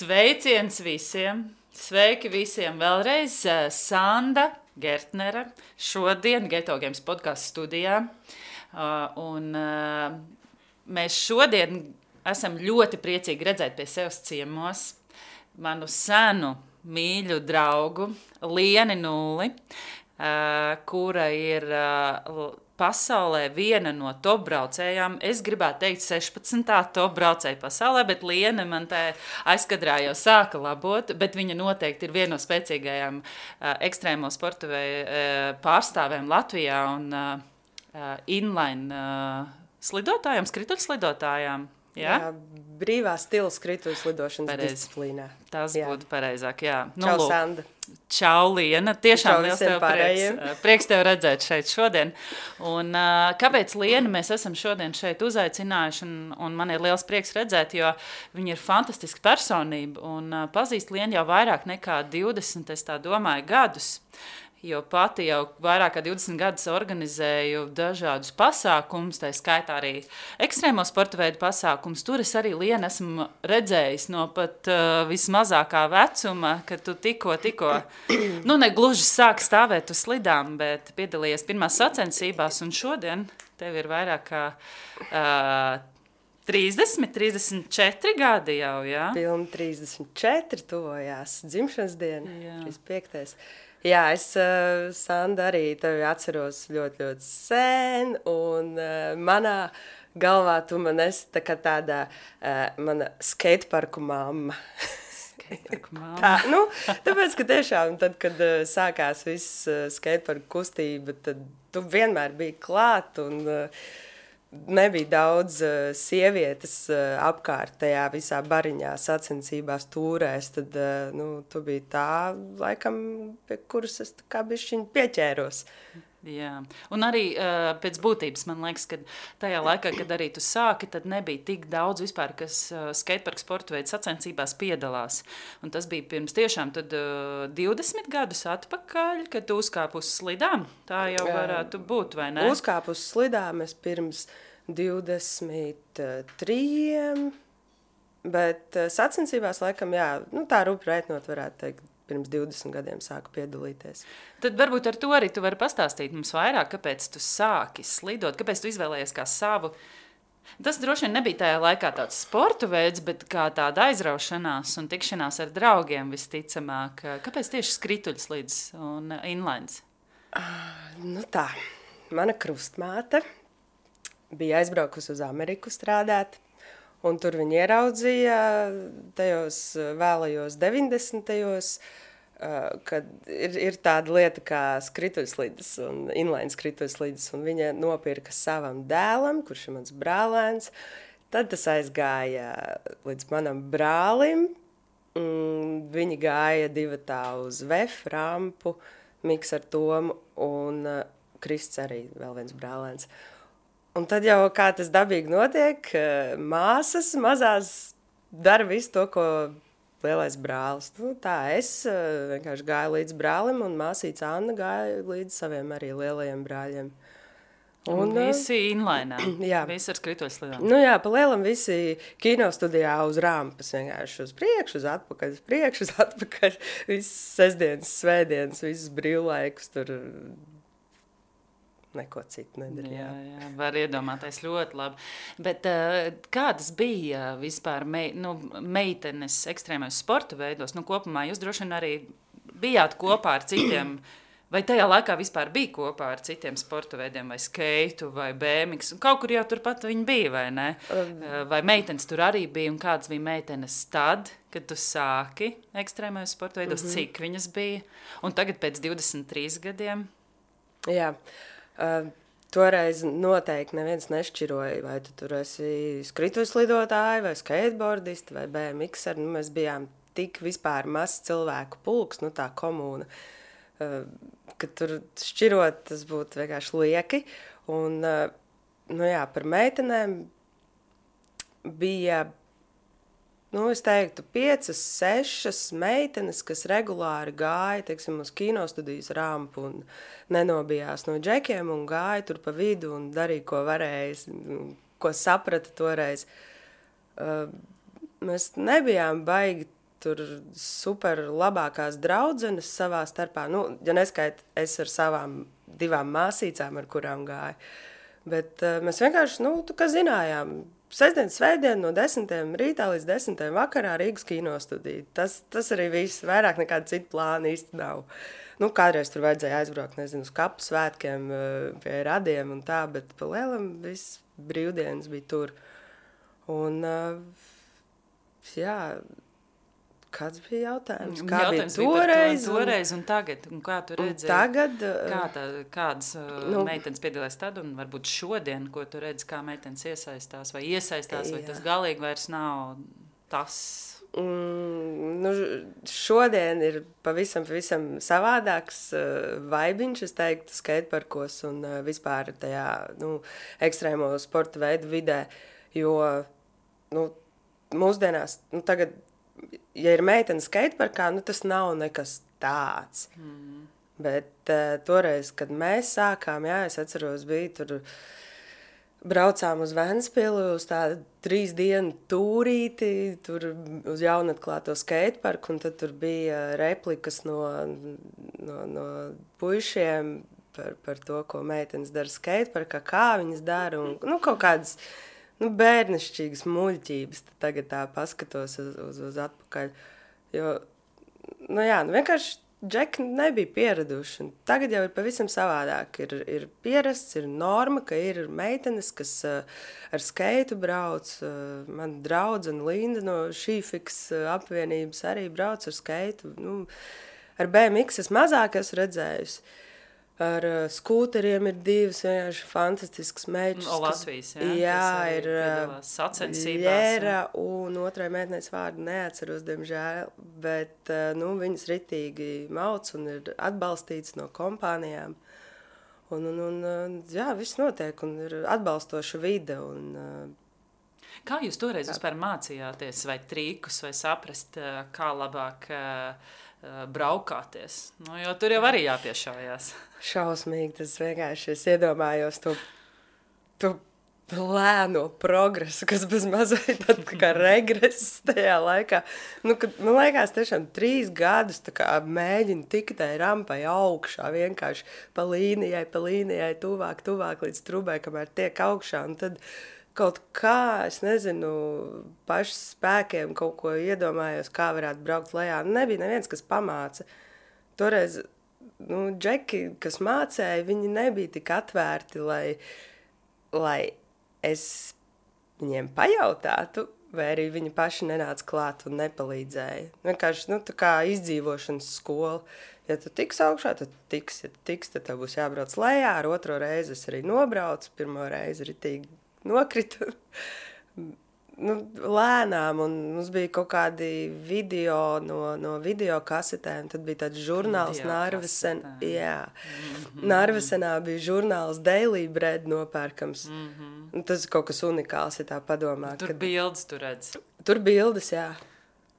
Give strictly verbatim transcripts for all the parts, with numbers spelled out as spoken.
Sveiciens visiem! Sveiki visiem vēlreiz! Sanda Gertnere šodien Geto Games podcastu studijā. Un mēs šodien esam ļoti priecīgi redzēt pie sevis ciemos manu senu mīļu draugu Lieni Nulli, kura ir pasaulē viena no top braucējām. Es gribētu teikt sešpadsmitā top braucēja pasaulē, bet Liena man te aizkadrā jau sāka labot, bet viņa noteikti ir viena no spēcīgajām uh, ekstrēmo sporta uh, pārstāvēm Latvijā un uh, uh, inline uh, slidotājām, skrituļslidotājām. Ja? Jā, brīvā stila skrituļslidošanas Pareiz. Disciplīnā. Tas jā. būtu pareizāk, jā. Čau, nu, Sanda. Čau, Liena. Tiešām Čau liels tev prieks, prieks tev redzēt šeit šodien. Un, uh, kāpēc Lienu mēs esam šodien šeit uzaicinājuši, un, un man ir liels prieks redzēt, jo viņa ir fantastiska personība, un uh, pazīst Lienu jau vairāk nekā divdesmit, es tā domāju, gadus. Jo pati jau vairāk kā divdesmit gadus organizēju dažādus pasākumus, tā skaitā arī ekstrēmo sporta veidu pasākumus. Tur es arī Lienu esmu redzējis no pat uh, vismazākā vecuma, kad tu tikko, tikko, nu ne gluži sāki stāvēt uz slidām, bet piedalījies pirmās sacensībās, un šodien tev ir vairāk kā uh, trīsdesmit, trīsdesmit četri gadi jau, jā? Pilni trīsdesmit četri tuvojās dzimšanas diena, Jā. trīsdesmit piektais Jā, es, uh, Sanda, arī tevi atceros ļoti, ļoti sen, un uh, manā galvā tu man esi tā kā tāda uh, mana skateparku mamma. Skateparku mamma. Tā, nu, tāpēc, ka tiešām tad, kad uh, sākās viss uh, skateparku kustība, tad tu vienmēr biji klāt, un uh, nebija daudz uh, sievietes uh, apkārt tajā visā bariņā, sacensībās, tūrēs, tad uh, nu, tu biji tā, laikam, pie kuras es tā kā bišķiņ pieķēros. Jā, un arī uh, pēc būtības man liekas, ka tajā laikā, kad arī tu sāki, tad nebija tik daudz vispār, kas uh, skateparku sporta veidu sacensībās piedalās. Un tas bija pirms tiešām tad uh, divdesmit gadus atpakaļ, kad tu uzkāp uz slidām. Tā jau varētu būt, vai ne? Uzkāp uz slidām es pirms divdesmit trījiem, bet uh, sacensībās laikam, jā, nu tā rupi rēķinot varētu teikt, pirms divdesmit gadiem sāku piedalīties. Tad varbūt ar to arī tu vari pastāstīt mums vairāk, kāpēc tu sāki slidot, kāpēc tu izvēlējies kā savu. Tas droši vien nebija tajā laikā tāds sporta veids, bet kā tāda aizraušanās un tikšanās ar draugiem visticamāk. Kāpēc tieši skrituļslids un inlines? Uh, nu tā, mana krustmāte bija aizbraukusi uz Ameriku strādāt, un tur viņi ieraudzīja tajos vēlajos deviņdesmitajos, kad ir, ir tāda lieta kā skrituļslides un inline skrituļslides, un viņa nopirka savam dēlam, kurš ir mans brālēns. Tad tas aizgāja līdz manam brālim. Viņi gāja divatā uz V E F, rampu, Miks ar Tomu un Krists arī vēl viens brālēns. Un tad jau kā tas dabīgi notiek, māsas mazās dara visu to, ko lielais brālis. Nu, tā es vienkārši gāju līdz brālim, un māsīca Anna gāja līdz saviem arī lielajiem brāļiem. Un, un visi inlainā, jā. Visi ar skrituļslidām. Nu jā, pa lielam visi kinostudijā uz rampas, vienkārši uz priekšu, uz atpakaļ, uz priekšu, uz atpakaļ. Visas sestdienas, svētdienas, visas brīvlaikus tur... Neko citu nedarīja. Jā, jā, var iedomāties ļoti labi. Bet uh, kādas bija vispār mei, nu, meitenes ekstrēmais sporta veidos? Nu, kopumā jūs droši vien arī bijāt kopā ar citiem, vai tajā laikā vispār bija kopā ar citiem sporta veidiem, vai skeitu, vai B M X? Kaut kur jau turpat viņi bija, vai ne? Uh, vai meitenes tur arī bija, un kādas bija meitenes tad, kad tu sāki ekstrēmais sporta veidos, mm-hmm. cik viņas bija? Un tagad pēc divdesmit trīs gadiem? Jā. Uh, toreiz noteikti neviens nešķiroja, vai tu tur esi skrituļslidotāji, vai skateboardisti, vai B M X-ar. Nu, mēs bijām tik vispār mazs cilvēku pulks, nu tā komūna, uh, ka tur šķirot tas būtu vienkārši lieki. Un, uh, nu jā, par meitenēm bija, nu, es teiktu, piecas, sešas meitenes, kas regulāri gāja, teiksim, uz kinostudijas rampu un nenobijās no džekiem un gāja tur pa vidu un darīja, ko varēja, ko saprata toreiz. Uh, mēs nebijām baigi tur super labākās draudzenes savā starpā. Nu, ja neskait, es ar savām divām māsīcām, ar kurām gāju. Bet uh, mēs vienkārši, nu, tu kā zinājām, sestdien, svētdien no desmitiem rītā līdz desmitiem vakarā Rīgas kinostudija. Tas, tas arī viss, vairāk nekāda cita plāna īsti nav. Nu, kādreiz tur vajadzēja aizbraukt, nezinu, uz kapu svētkiem, pie radiem un tā, bet pa lielam viss brīvdienas bija tur. Un, jā, kāds bija jautājums? Kā jautājums bija toreiz? Bija toreiz un tagad? Un kā tu redzēji? Tagad, kā tā, kādas nu, meitenes piedalās tad un varbūt šodien, ko tu redzi, kā meitenes iesaistās vai iesaistās, vai jā. tas galīgi vairs nav tas? Mm, nu, šodien ir pavisam, pavisam savādāks uh, vaibiņš, es teiktu, skateparkos un uh, vispār tajā, nu, ekstrēmo sporta veidu vidē, jo, nu, mūsdienās, nu, tagad, ja ir meitene skateparkā, nu, tas nav nekas tāds. Mm. Bet uh, toreiz, kad mēs sākām, jā, es atceros, bija tur, braucām uz Ventspili, uz tādu trīs dienu tūrīti, tur uz jaunatklāto skateparku, un tad tur bija replikas no, no, no puišiem par, par to, ko meitenes dara skateparkā, kā viņas dara, un, nu, kaut kādas, nu, bērnišķīgas muļķības, tad tagad tā paskatos uz, uz, uz atpakaļ, jo, nu, jā, nu, vienkārši džeki nebija pieraduši. Tagad jau ir pavisam savādāk. Ir, ir pierasts, ir norma, ka ir meitenes, kas uh, ar skeitu brauc. Uh, man draudzene Linda no Šīfiks uh, apvienības arī brauc ar skeitu. Nu, ar B M X es mazāk esmu redzējusi. Ar uh, skūteriem ir divas vienkārši fantastiskas meitas. No Latvijas, jā. Jā, ir sacensībās. Lēra un otrai meitnēs vārdu neatceros, diemžēl, bet uh, nu, viņas ritīgi mauc un ir atbalstīts no kompānijām. Un, un, un jā, viss notiek un ir atbalstoša vide. Un, uh, kā jūs toreiz vispār mācījāties vai trīkus vai saprast, kā labāk uh, braukāties? Nu, jo tur jau arī jāpiešājās. Šausmīgi, tas vienkārši es iedomājos to, to lēno progresu, kas bez mazliet tad kā regress tajā laikā. Nu, kad, man liekas, tiešām trīs gadus tā kā mēģinu tikt tai rampai augšā, vienkārši pa līnijai, pa līnijai, tuvāk, tuvāk līdz trubē, kamēr tiek augšā, un tad kaut kā, es nezinu, paši spēkiem kaut ko iedomājos, kā varētu braukt lejā. Nebija neviens, kas pamāca. Toreiz, nu, džeki, kas mācēja, viņi nebija tik atvērti, lai, lai es viņiem pajautātu, vai arī viņi paši nenāca klāt un nepalīdzēja. Vienkārši, nu, tā kā izdzīvošanas skola. Ja tu tiks augšā, tad tiks, ja tu tiks, tad tev būs jābrauc lejā. Ar otro reizi es arī nobraucu, pirmo reizi ritīgi nokritu, nu, lēnām, un mums bija kaut kādi video no, no video kasetēm, tad bija tāds žurnāls Narvesen, jā, mm-hmm. Narvesenā bija žurnāls Daily Bread nopērkams, mm-hmm. Tas ir kaut kas unikāls, ja tā padomā. Tur kad... bildes tu redz. Tur bildes, jā.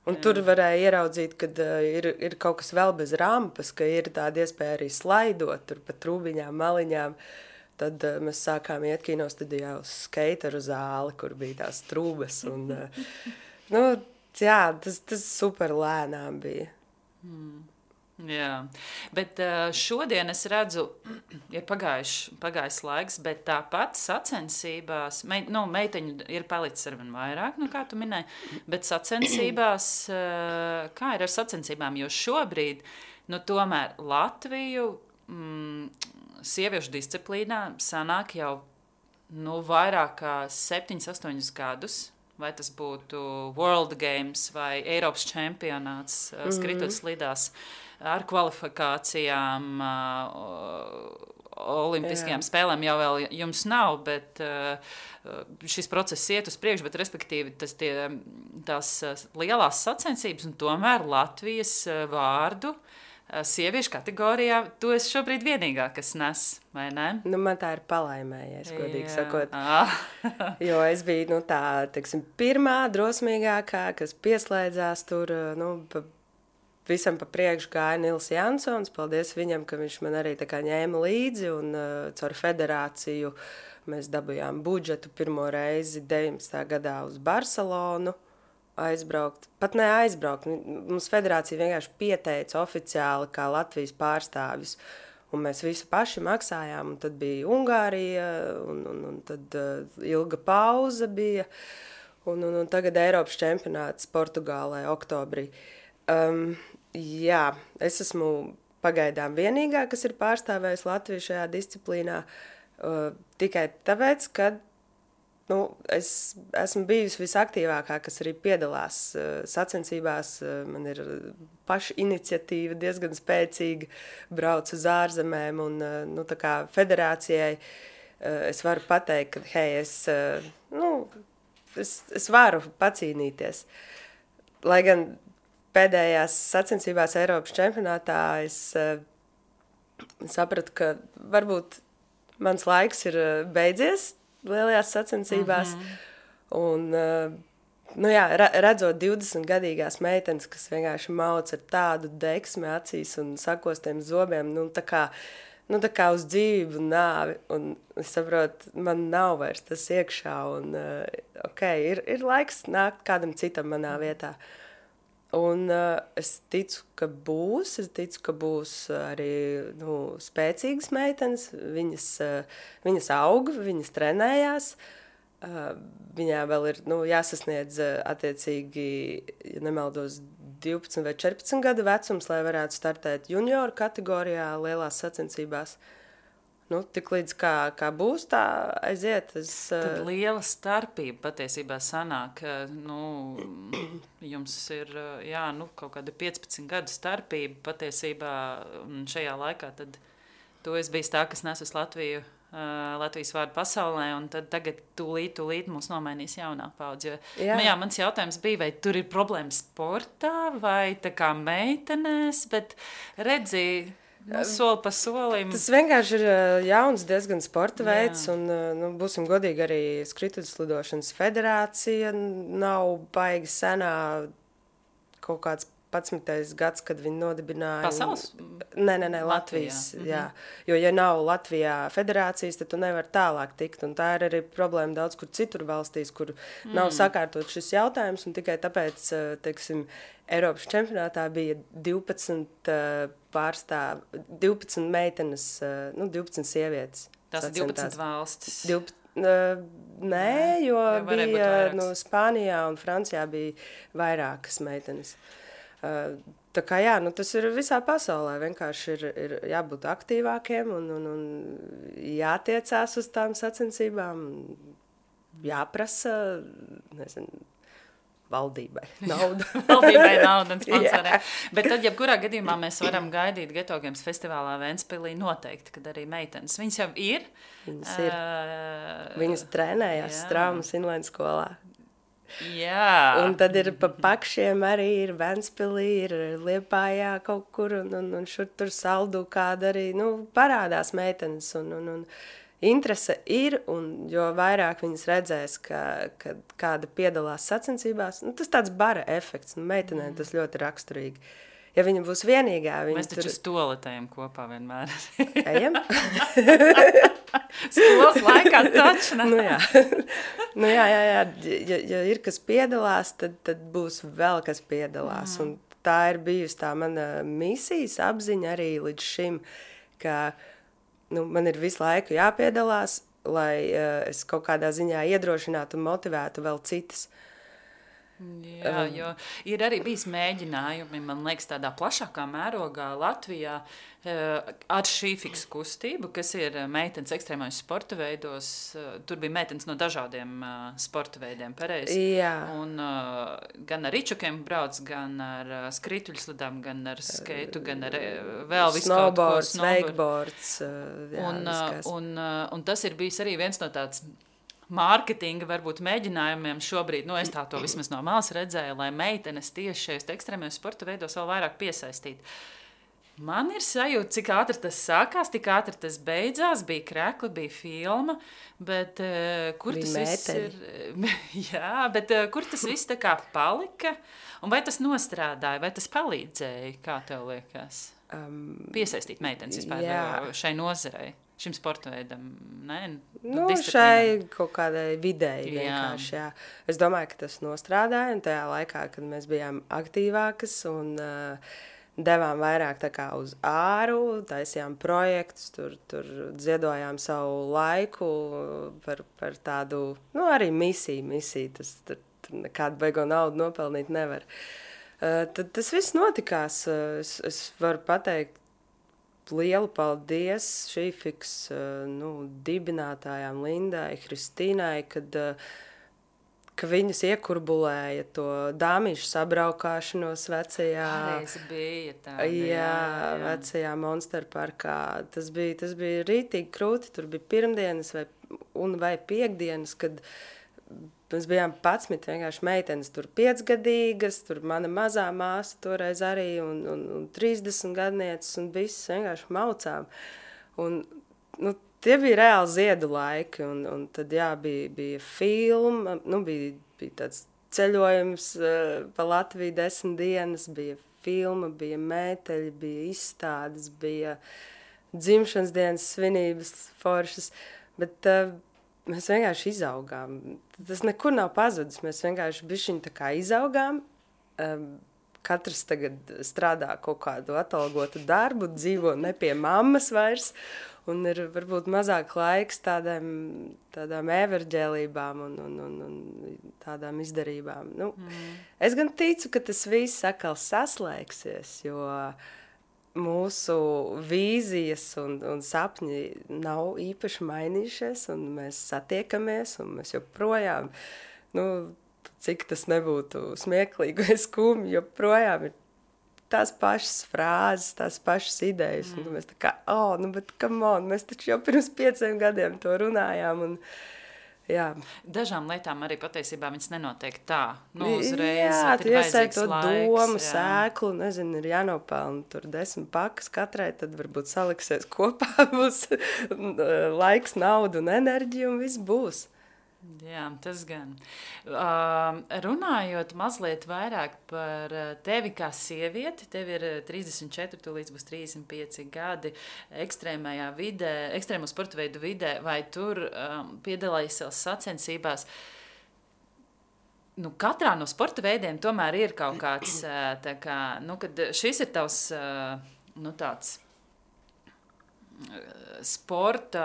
Un jā. Tur varēja ieraudzīt, kad uh, ir, ir kaut kas vēl bez rampas, ka ir tāda iespēja arī slaidot, tur pa trūbiņām, maliņām. Tad uh, mēs sākām iet kinostudijā uz skateru zāli, kur bija tās trūbas. Un, uh, nu, jā, tas, tas super lēnām bija. Mm. Jā, bet uh, šodien es redzu, ir pagājis, pagājis laiks, bet tāpat sacensībās, mei, nu, meiteņu ir palicis arvien vairāk, nu, kā tu minēji, bet sacensībās, uh, kā ir ar sacensībām, jo šobrīd, nu, tomēr Latviju, mm, sieviešu disciplīnā sanāk jau nu, vairāk kā septiņus, astoņus gadus, vai tas būtu World Games vai Eiropas čempionāts, mm-hmm. skritot slidās ar kvalifikācijām, olimpiskajām Jā. Spēlēm jau vēl jums nav, bet šis process iet uz priekšu, bet respektīvi tas tie, tās lielās sacensības un tomēr Latvijas vārdu sieviešu kategorijā, tu esi šobrīd vienīgā, kas nes, vai ne? Nu, man tā ir palaimējies, godīgi sakot. Jo es biju, nu, tā, teiksim, pirmā drosmīgākā, kas pieslēdzās tur, nu, pa, visam pa priekšu gāja Nils Jansons, paldies viņam, ka viņš man arī tā kā ņēma līdzi, un uh, caur federāciju mēs dabujām budžetu pirmo reizi deviņpadsmitajā gadā uz Barcelonu, aizbraukt, pat ne aizbraukt. Mums federācija vienkārši pieteica oficiāli kā Latvijas pārstāvis. Un mēs visu paši maksājām. Un tad bija Ungārija, un, un, un tad uh, ilga pauze bija. Un, un, un tagad Eiropas čempionāts Portugālē oktobrī. Um, jā, es esmu pagaidām vienīgā, kas ir pārstāvējis Latviju šajā disciplīnā. Uh, tikai tāpēc, ka nu, es esmu bijusi visaktīvākā, kas arī piedalās uh, sacensībās. Uh, man ir paša iniciatīva diezgan spēcīga, brauc uz ārzemēm, un uh, nu, tā kā federācijai uh, es varu pateikt, ka hei, es, uh, nu, es, es varu pacīnīties. Lai gan pēdējās sacensībās Eiropas čempionātā es uh, sapratu, ka varbūt mans laiks ir uh, beidzies lielajās sacensībās. Mm-hmm. Un, uh, nu jā, redzot divdesmitgadīgās meitenes, kas vienkārši mauc ar tādu deksmi acīs un sakostiem zobiem, nu tā kā, nu tā kā uz dzīvību un nāvi. Un es saprotu, man nav vairs tas iekšā. Un, uh, ok, ir, ir laiks nākt kādam citam manā vietā. Un uh, es ticu, ka būs, es ticu, ka būs arī nu, spēcīgas meitenes, viņas, uh, viņas aug, viņas trenējās, uh, viņām vēl ir nu, jāsasniedz uh, attiecīgi, ja nemaldos, divpadsmit vai četrpadsmit gadu vecums, lai varētu startēt junioru kategorijā lielās sacensībās. Nu, tik līdz kā, kā būs, tā aiziet. Es, Tad liela starpība patiesībā sanāk. Nu, jums ir jā, nu, kaut kāda piecpadsmit gadu starpība patiesībā šajā laikā. Tad tu esi bijis tā, kas nesus Latviju, Latvijas vārdu pasaulē, un tad tagad tūlīt, tūlīt mums nomainīs jaunā paudze. Jā. Nu, jā, mans jautājums bija, vai tur ir problēma sportā vai tā kā meitenēs, bet redzi, nu, soli pa solim. Tas vienkārši ir jauns diezgan sporta veids, jā. Un nu, būsim godīgi, arī skrituļslidošanas federācija nav baigi senā, kaut kāds padsmitais gads, kad viņi nodibināja. Pasaules? Nē, nē, nē, Latvijas, Latvijā. Jā. Jo, ja nav Latvijā federācijas, tad tu nevar tālāk tikt, un tā ir arī problēma daudz kur citur valstīs, kur mm. nav sakārtot šis jautājums, un tikai tāpēc, teiksim, Eiropas čempionātā bija divpadsmit pārstāv, divpadsmit meitenes, nu, divpadsmit sievietes. Tas ir divpadsmit valstis. divpadsmit, uh, nē, jo bija, nu, Spānijā un Francijā bija vairākas meitenes. Uh, tā kā jā, nu, tas ir visā pasaulē, vienkārši ir, ir jābūt aktīvākiem un, un, un jātiecās uz tām sacensībām, jāprasa, nezinu, valdībai nauda. Valdībai nauda un sponsorē. Bet tad, jebkurā gadījumā mēs varam gaidīt Geto Games festivālā Ventspilī noteikti, kad arī meitenes. Viņas jau ir. Viņas ir. Uh, Viņas trenējās Straumas inline skolā. Jā. Un tad ir pa pakšiem arī ir Ventspilī, ir Liepājā kaut kur, un, un, un šur tur Saldu kāda arī, nu, parādās meitenes, un, un, un interese ir, un jo vairāk viņas redzēs, ka, ka kāda piedalās sacensībās, nu, tas tāds bara efekts, nu, meitenēm tas ļoti raksturīgi. Ja viņa būs vienīgā, viņa Mēs taču tur... stoletējam kopā vienmēr. Ejam? Skolas laikā taču, ne? Nu jā, nu jā, jā, jā. Ja, ja ir kas piedalās, tad, tad būs vēl kas piedalās. Mm. Un tā ir bijusi tā mana misijas apziņa arī līdz šim, ka nu, man ir visu laiku jāpiedalās, lai uh, es kaut kādā ziņā iedrošinātu un motivētu vēl citas. Jā, jo ir arī bijis mēģinājumi, man liekas, tādā plašākā mērogā Latvijā ar šī fiksu kustību, kas ir meitenes ekstrēmais sporta veidos. Tur bija meitenes no dažādiem sporta veidiem, pareizi. Jā. Un gan ar ričukiem brauc, gan ar skrituļslidām, gan ar skeitu, gan ar vēl visu kaut ko. Snowboards, wakeboards. Jā, un, un, un tas ir bijis arī viens no tāds mārketinga varbūt mēģinājumiem šobrīd, nu es tā to vismaz no malas redzēju, lai meitenes tieši šajos ekstrēmajos sporta veidos vēl vairāk piesaistīt. Man ir sajūta, cik ātri tas sākās, tik ātri tas beidzās, bija krekli, bija filma, bet uh, kur bija tas mēteļi. viss ir? Jā, bet uh, kur tas viss tā kā palika? Un vai tas nostrādāja, vai tas palīdzēja, kā tev liekas? Um, Piesaistīt meitenes vispār jā. šai nozarei? šim sporta veidam, ne? Nu, šai kaut kādai vidēji jā. vienkārši, jā. Es domāju, ka tas nostrādāja, un tajā laikā, kad mēs bijām aktīvākas un uh, devām vairāk tā kā uz āru, taisījām projektus, tur, tur ziedojām savu laiku par, par tādu, nu, arī misiju, misiju, tas tur, tur nekādu baigo naudu nopelnīt nevar. Uh, tad tas viss notikās, es, es varu pateikt lielu paldies Šīfiks, uh, nu, dibinātājām Lindai, Kristīnai, kad uh, ka viņas iekurbulēja to dāmīšu sabraukāšanos vecajā... Pareizi bija tāda, jā, jā, jā. Vecajā Monster parkā. Tas bija, tas bija rītīgi krūti, tur bija pirmdienas vai, un vai piekdienas, kad mēs bijām padsmit vienkārši meitenes, tur piecgadīgas, tur mana mazā māsa toreiz arī, un, un, un trīsdesmit gadnieces, un viss vienkārši maucām. Un, nu, tie bija reāli ziedu laiki, un, un tad, jā, bija, bija filma, nu, bija, bija tāds ceļojums uh, pa Latviju desmit dienas, bija filma, bija mēteļi, bija izstādes, bija dzimšanas dienas svinības foršas, bet uh, mēs vienkārši izaugām. Tas nekur nav pazudis, mēs vienkārši bišķiņ tā kā izaugām, um, katrs tagad strādā kaut kādu atalgotu darbu, dzīvo ne pie mammas vairs, un ir varbūt mazāk laiks tādām, tādām everģēlībām un, un, un, un tādām izdarībām. Nu, mm. Es gan ticu, ka tas viss atkal saslēgsies, jo mūsu vīzijas un, un sapņi nav īpaši mainījušies, un mēs satiekamies, un mēs joprojām, nu, cik tas nebūtu smieklīgi vai skumji, joprojām ir tās pašas frāzes, tās pašas idejas, mm. un mēs tā kā, oh, nu, bet come on, mēs taču jau pirms pieciem gadiem to runājām, un, jā. Dažām lietām arī patiesībā viņas nenotiek tā, nu, uzreiz, jā, kad ir vajadzīgs to laiks. domu, jā. sēklu, nezinu, ir jānopelna tur desmit pakas katrai, tad varbūt saliksies kopā, būs laiks, nauda un enerģija, un viss būs. Jā, tas gan. Uh, runājot mazliet vairāk par tevi kā sievieti, tev ir trīsdesmit četri, tu līdz būs trīsdesmit pieci gadi ekstrēmajā vidē, ekstrēmo sporta veidu vidē, vai tur um, piedalājies sacensībās? Nu, katrā no sporta veidiem tomēr ir kaut kāds, tā kā, nu, kad šis ir tavs, nu, tāds sporta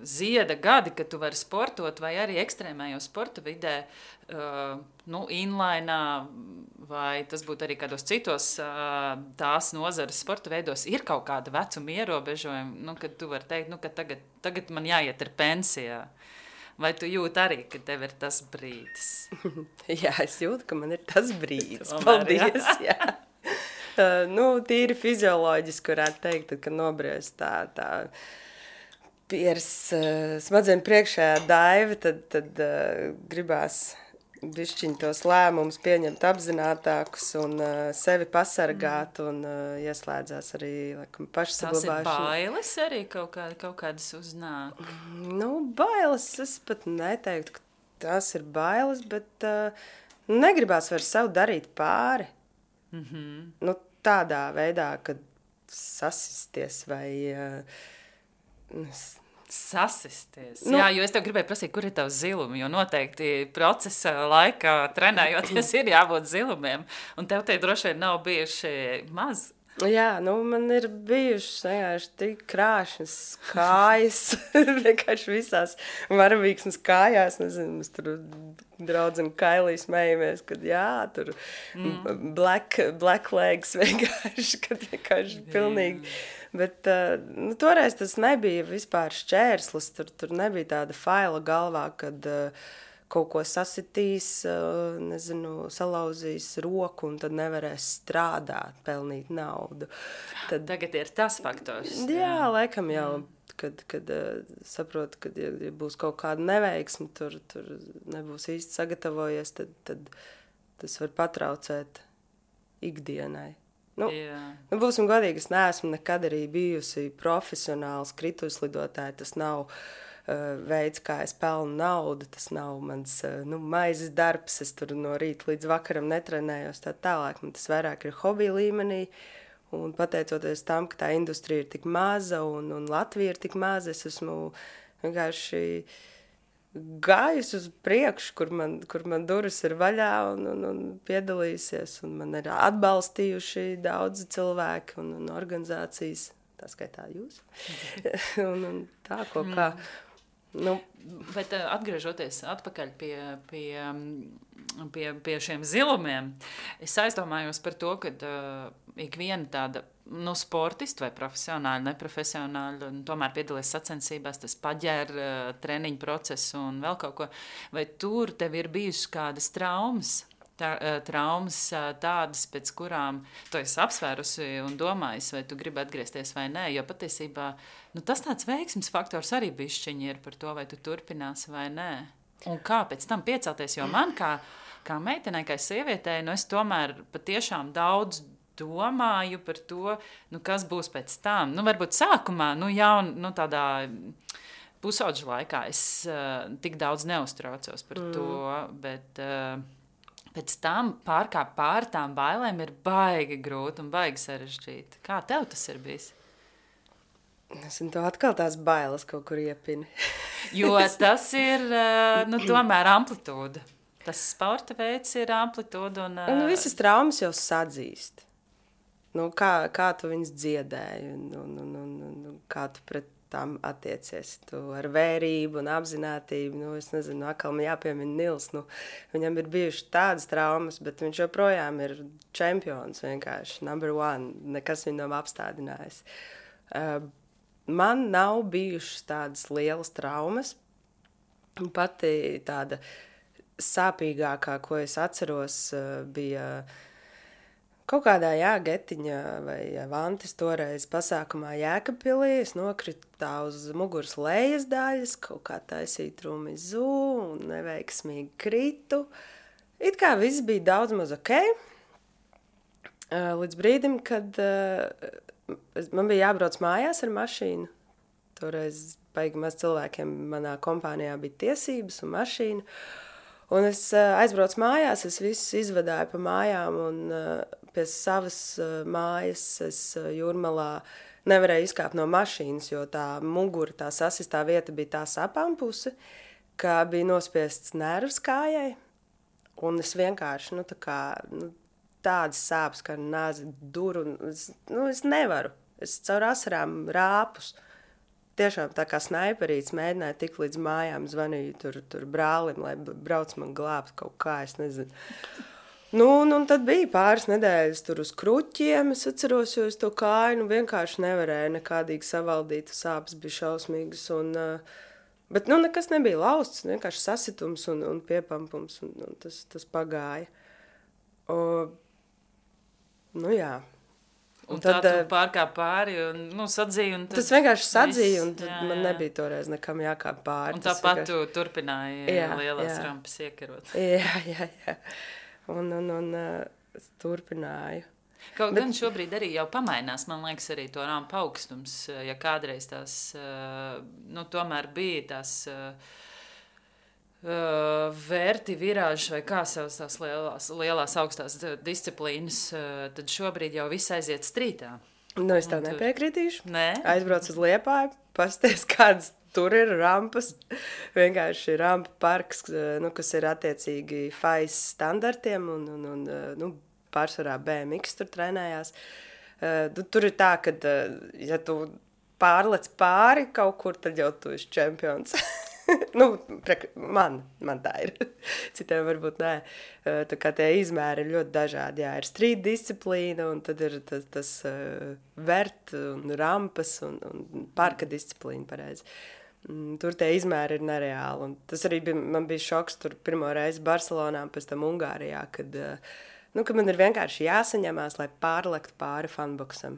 zieda gadi, kad tu vari sportot, vai arī ekstrēmējo sporta vidē, uh, nu, inlainā, vai tas būtu arī kādos citos uh, tās nozares sporta veidos, ir kaut kāda vecuma ierobežojuma, nu, kad tu vari teikt, nu, ka tagad, tagad man jāiet ar pensijā. Vai tu jūti arī, ka tev ir tas brīdis? Jā, es jūtu, ka man ir tas brīdis. Paldies, jā. jā. Uh, nu, tīri fizioloģiski varētu teikt, kad nobriest tā, tā pieras uh, smadzeņu priekšējā daiva, tad, tad uh, gribās bišķiņ tos lēmumus pieņemt apzinātākus un uh, sevi pasargāt un uh, ieslēdzās arī, laikam, pašsaglabāšana. Tas ir bailes arī kaut, kā, kaut kādas uznāk? Nu, bailes, es pat neteiktu, ka tas ir bailes, bet uh, negribās vairs sev darīt pāri. Mm-hmm. Nu, tādā veidā, kad sasisties vai... Uh, Sasisties. Nu, jā, jo es tev gribēju prasīt, kur ir tavs zilumi, jo noteikti procesa laikā trenējoties ir jābūt zilumiem, un tev te droši vien nav bijuši maz. Jā, nu, man ir bijušas vienkārši tik krāšņas kājas, vienkārši visās varavīksnes kājās, nezinu, mēs tur draudzeni Kailī smējamies, kad jā, tur mm. black, black legs vienkārši, kad vienkārši pilnīgi. Bet uh, nu, toreiz tas nebija vispār šķērslis, tur, tur nebija tāda faila galvā, kad uh, kaut ko sasitīs, uh, nezinu, salauzīs roku un tad nevarēs strādāt, pelnīt naudu. Tad, Tagad ir tas faktors. Jā, jā laikam jau, mm. kad, kad uh, saprotu, kad ja, ja būs kaut kāda neveiksme, tur, tur nebūs īsti sagatavojies, tad, tad tas var patraucēt ikdienai. Nu, nu, būsim godīgi, es neesmu nekad arī bijusi profesionāls krituslidotāji, tas nav uh, veids, kā es pelnu naudu, tas nav mans uh, nu, maizes darbs, es tur no rīta līdz vakaram netrenējos tā tālāk, man tas vairāk ir hobija līmenī, Un pateicoties tam, ka tā industrija ir tik maza un, un Latvija ir tik maza, es esmu vienkārši gājusi uz priekšu, kur man, kur man durvis ir vaļā un, un, un piedalīsies. Un man ir atbalstījuši daudzi cilvēki un, un organizācijas, tā skaitā jūs. un, un tā ko kā. Nu, Bet atgriežoties atpakaļ pie, pie, pie, pie šiem zilumiem, es aizdomājos par to, ka uh, ikviena tāda nu, sportista vai profesionāli, neprofesionāli, un tomēr piedalās sacensībās, tas paģēr uh, treniņu procesu un vēl kaut ko. Vai tur tev ir bijušas kādas traumas? Tā, traumas tādas, pēc kurām tu esi apsvērusi un domājis, vai tu gribi atgriezties vai nē, jo patiesībā nu, tas tāds veiksmes faktors arī bišķiņi ir par to, vai tu turpināsi vai nē. Un kā pēc tam piecelties, jo man kā, kā meitenei, kā sievietei, nu es tomēr patiešām daudz domāju par to, nu kas būs pēc tam. Nu varbūt sākumā, nu jaun, nu tādā pusauģa laikā es uh, tik daudz neuztraucos par mm. to, bet... Uh, Pēc tam pārkāpt pār tām bailēm ir baigi grūti un baigi sarežģīti. Kā tev tas ir bijis? Es to atkal tās bailes kaut kur iepini. Jo tas ir, nu, tomēr amplitūda. Tas sporta veids ir amplitūda un... Nu, visas traumas jau sadzīst. Nu, kā, kā tu viņas dziedēji un, un, un, un, un kā tu pret tām attiecies. Tu ar vērību un apzinātību, nu, es nezinu, atkal man jāpiemina Nils, nu, viņam ir bijuši tādas traumas, bet viņš joprojām ir čempions vienkārši, number one, nekas viņu nav apstādinājis. Uh, man nav bijušas tādas lielas traumas, pati tāda sāpīgākā, ko es atceros, uh, bija kaut kādā, jā, Getiņa vai Vantis toreiz pasākumā Jēkabpilī, es nokritu tā uz muguras lejas daļas, kaut kā taisīju trumizu un neveiksmīgi kritu. It kā viss bija daudz maz ok, līdz brīdim, kad man bija jābrauc mājās ar mašīnu. Toreiz baigi maz cilvēkiem manā kompānijā bija tiesības un mašīna. Un es aizbraucu mājās, es visus izvadāju pa mājām un pie savas mājas es Jūrmalā nevarēju izkāpt no mašīnas, jo tā mugura, tā sasistā vieta bija tā sapām puse, ka bija nospiests nervs kājai. Un es vienkārši, nu tā kā, nu, tādas sāpes, kā nāzi duru, es, nu es nevaru. Es caur asarām rāpus. Tiešām tā kā snaiperīts mēģināja tik līdz mājām, zvanīju tur, tur brālim, lai brauc man glābt kaut kā, es nezinu. Nu, un, un tad bija pāris nedēļas tur uz kruķiem, es atceros, jo es to kāju, nu vienkārši nevarēju nekādīgi savaldīt, sāpes bija šausmīgas, un, bet, nu, nekas nebija lausts, vienkārši sasitums un, un piepampums, un, un tas, tas pagāja. O, nu, jā. Un, un tad, tā tu pārkāp pāri un, nu, sadzīji. Un tas vienkārši sadzīja, un tad jā, man nebija toreiz nekam jākāp pāri. Un tāpat vienkārši... tu turpināji jā, lielās jā. rampas iekarot. Jā, jā, jā. Un, un, un uh, es turpināju. Kaut Bet... gan šobrīd arī jau pamainās, man liekas, arī to rampu augstums, ja kādreiz tās, uh, nu, tomēr bija tās... Uh, Uh, vērti virāži vai kā savas tās lielās, lielās augstās disciplīnas, uh, tad šobrīd jau viss aiziet strītā. Nu, es tev nepiekritīšu. Nē? Aizbrauc uz Liepāju, pasties, kādas tur ir rampas. Vienkārši rampa parks, nu, kas ir attiecīgi F A I S standartiem un, un, un nu, pārsvarā B M X tur trenējās. Uh, tur ir tā, ka, ja tu pārlec pāri kaut kur, tad jau tu esi čempions. Nu, man, man tā ir. Citiem varbūt nē. Tā kā tie izmēri ir ļoti dažādi. Jā, ir street disciplīna, un tad ir tas, tas uh, vert un rampas un, un parka disciplīna, pareizi. Tur tie izmēri ir nereāli. Un tas arī bija, man bija šoks tur pirmo reizi Barcelonā, pēc tam Ungārijā, kad, uh, nu, kad man ir vienkārši jāsaņemās, lai pārlektu pāri funboksam.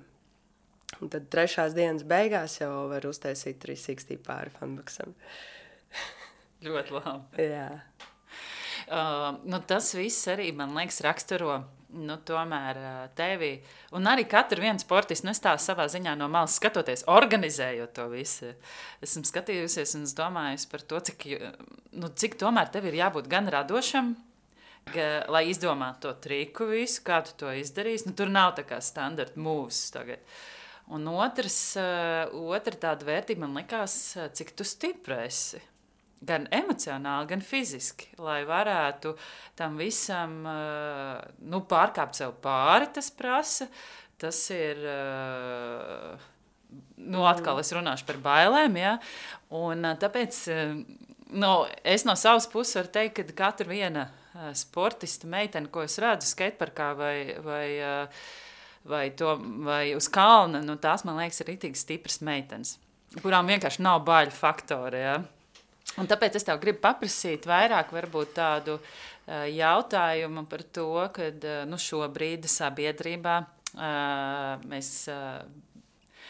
Un tad trešās dienas beigās jau var uztaisīt trīs sixty pāri funboksam. Ļoti labi. Jā. Uh, nu, tas viss arī, man liekas, raksturo nu, tomēr uh, tevi. Un arī katru vienu sportistu, nu, es tā savā ziņā no malas skatoties, organizējot to visu. Esmu skatījusies un domājusi par to, cik, nu, cik tomēr tev ir jābūt gan radošam, ga, lai izdomātu to triku visu, kā tu to izdarīsi. Nu, tur nav tā kā standarta moves tagad. Un otrs, uh, otra tāda vērtība man likās, cik tu stipra esi. Gan emocionāli, gan fiziski, lai varētu tam visam uh, nu, pārkāpt sev pāri, tas prasa. Tas ir, uh, nu, atkal es runāšu par bailēm, ja? Un uh, tāpēc uh, nu, es no savas puses varu teikt, ka katra viena uh, sportista meitene, ko es redzu skateparkā vai, vai, uh, vai, to, vai uz kalna, nu, tās, man liekas, ir rītīgi stipras meitenes, kurām vienkārši nav baiļu faktori, ja? Un tāpēc es tev gribu paprasīt vairāk varbūt tādu uh, jautājumu par to, kad uh, nu, šobrīd sabiedrībā uh, mēs uh,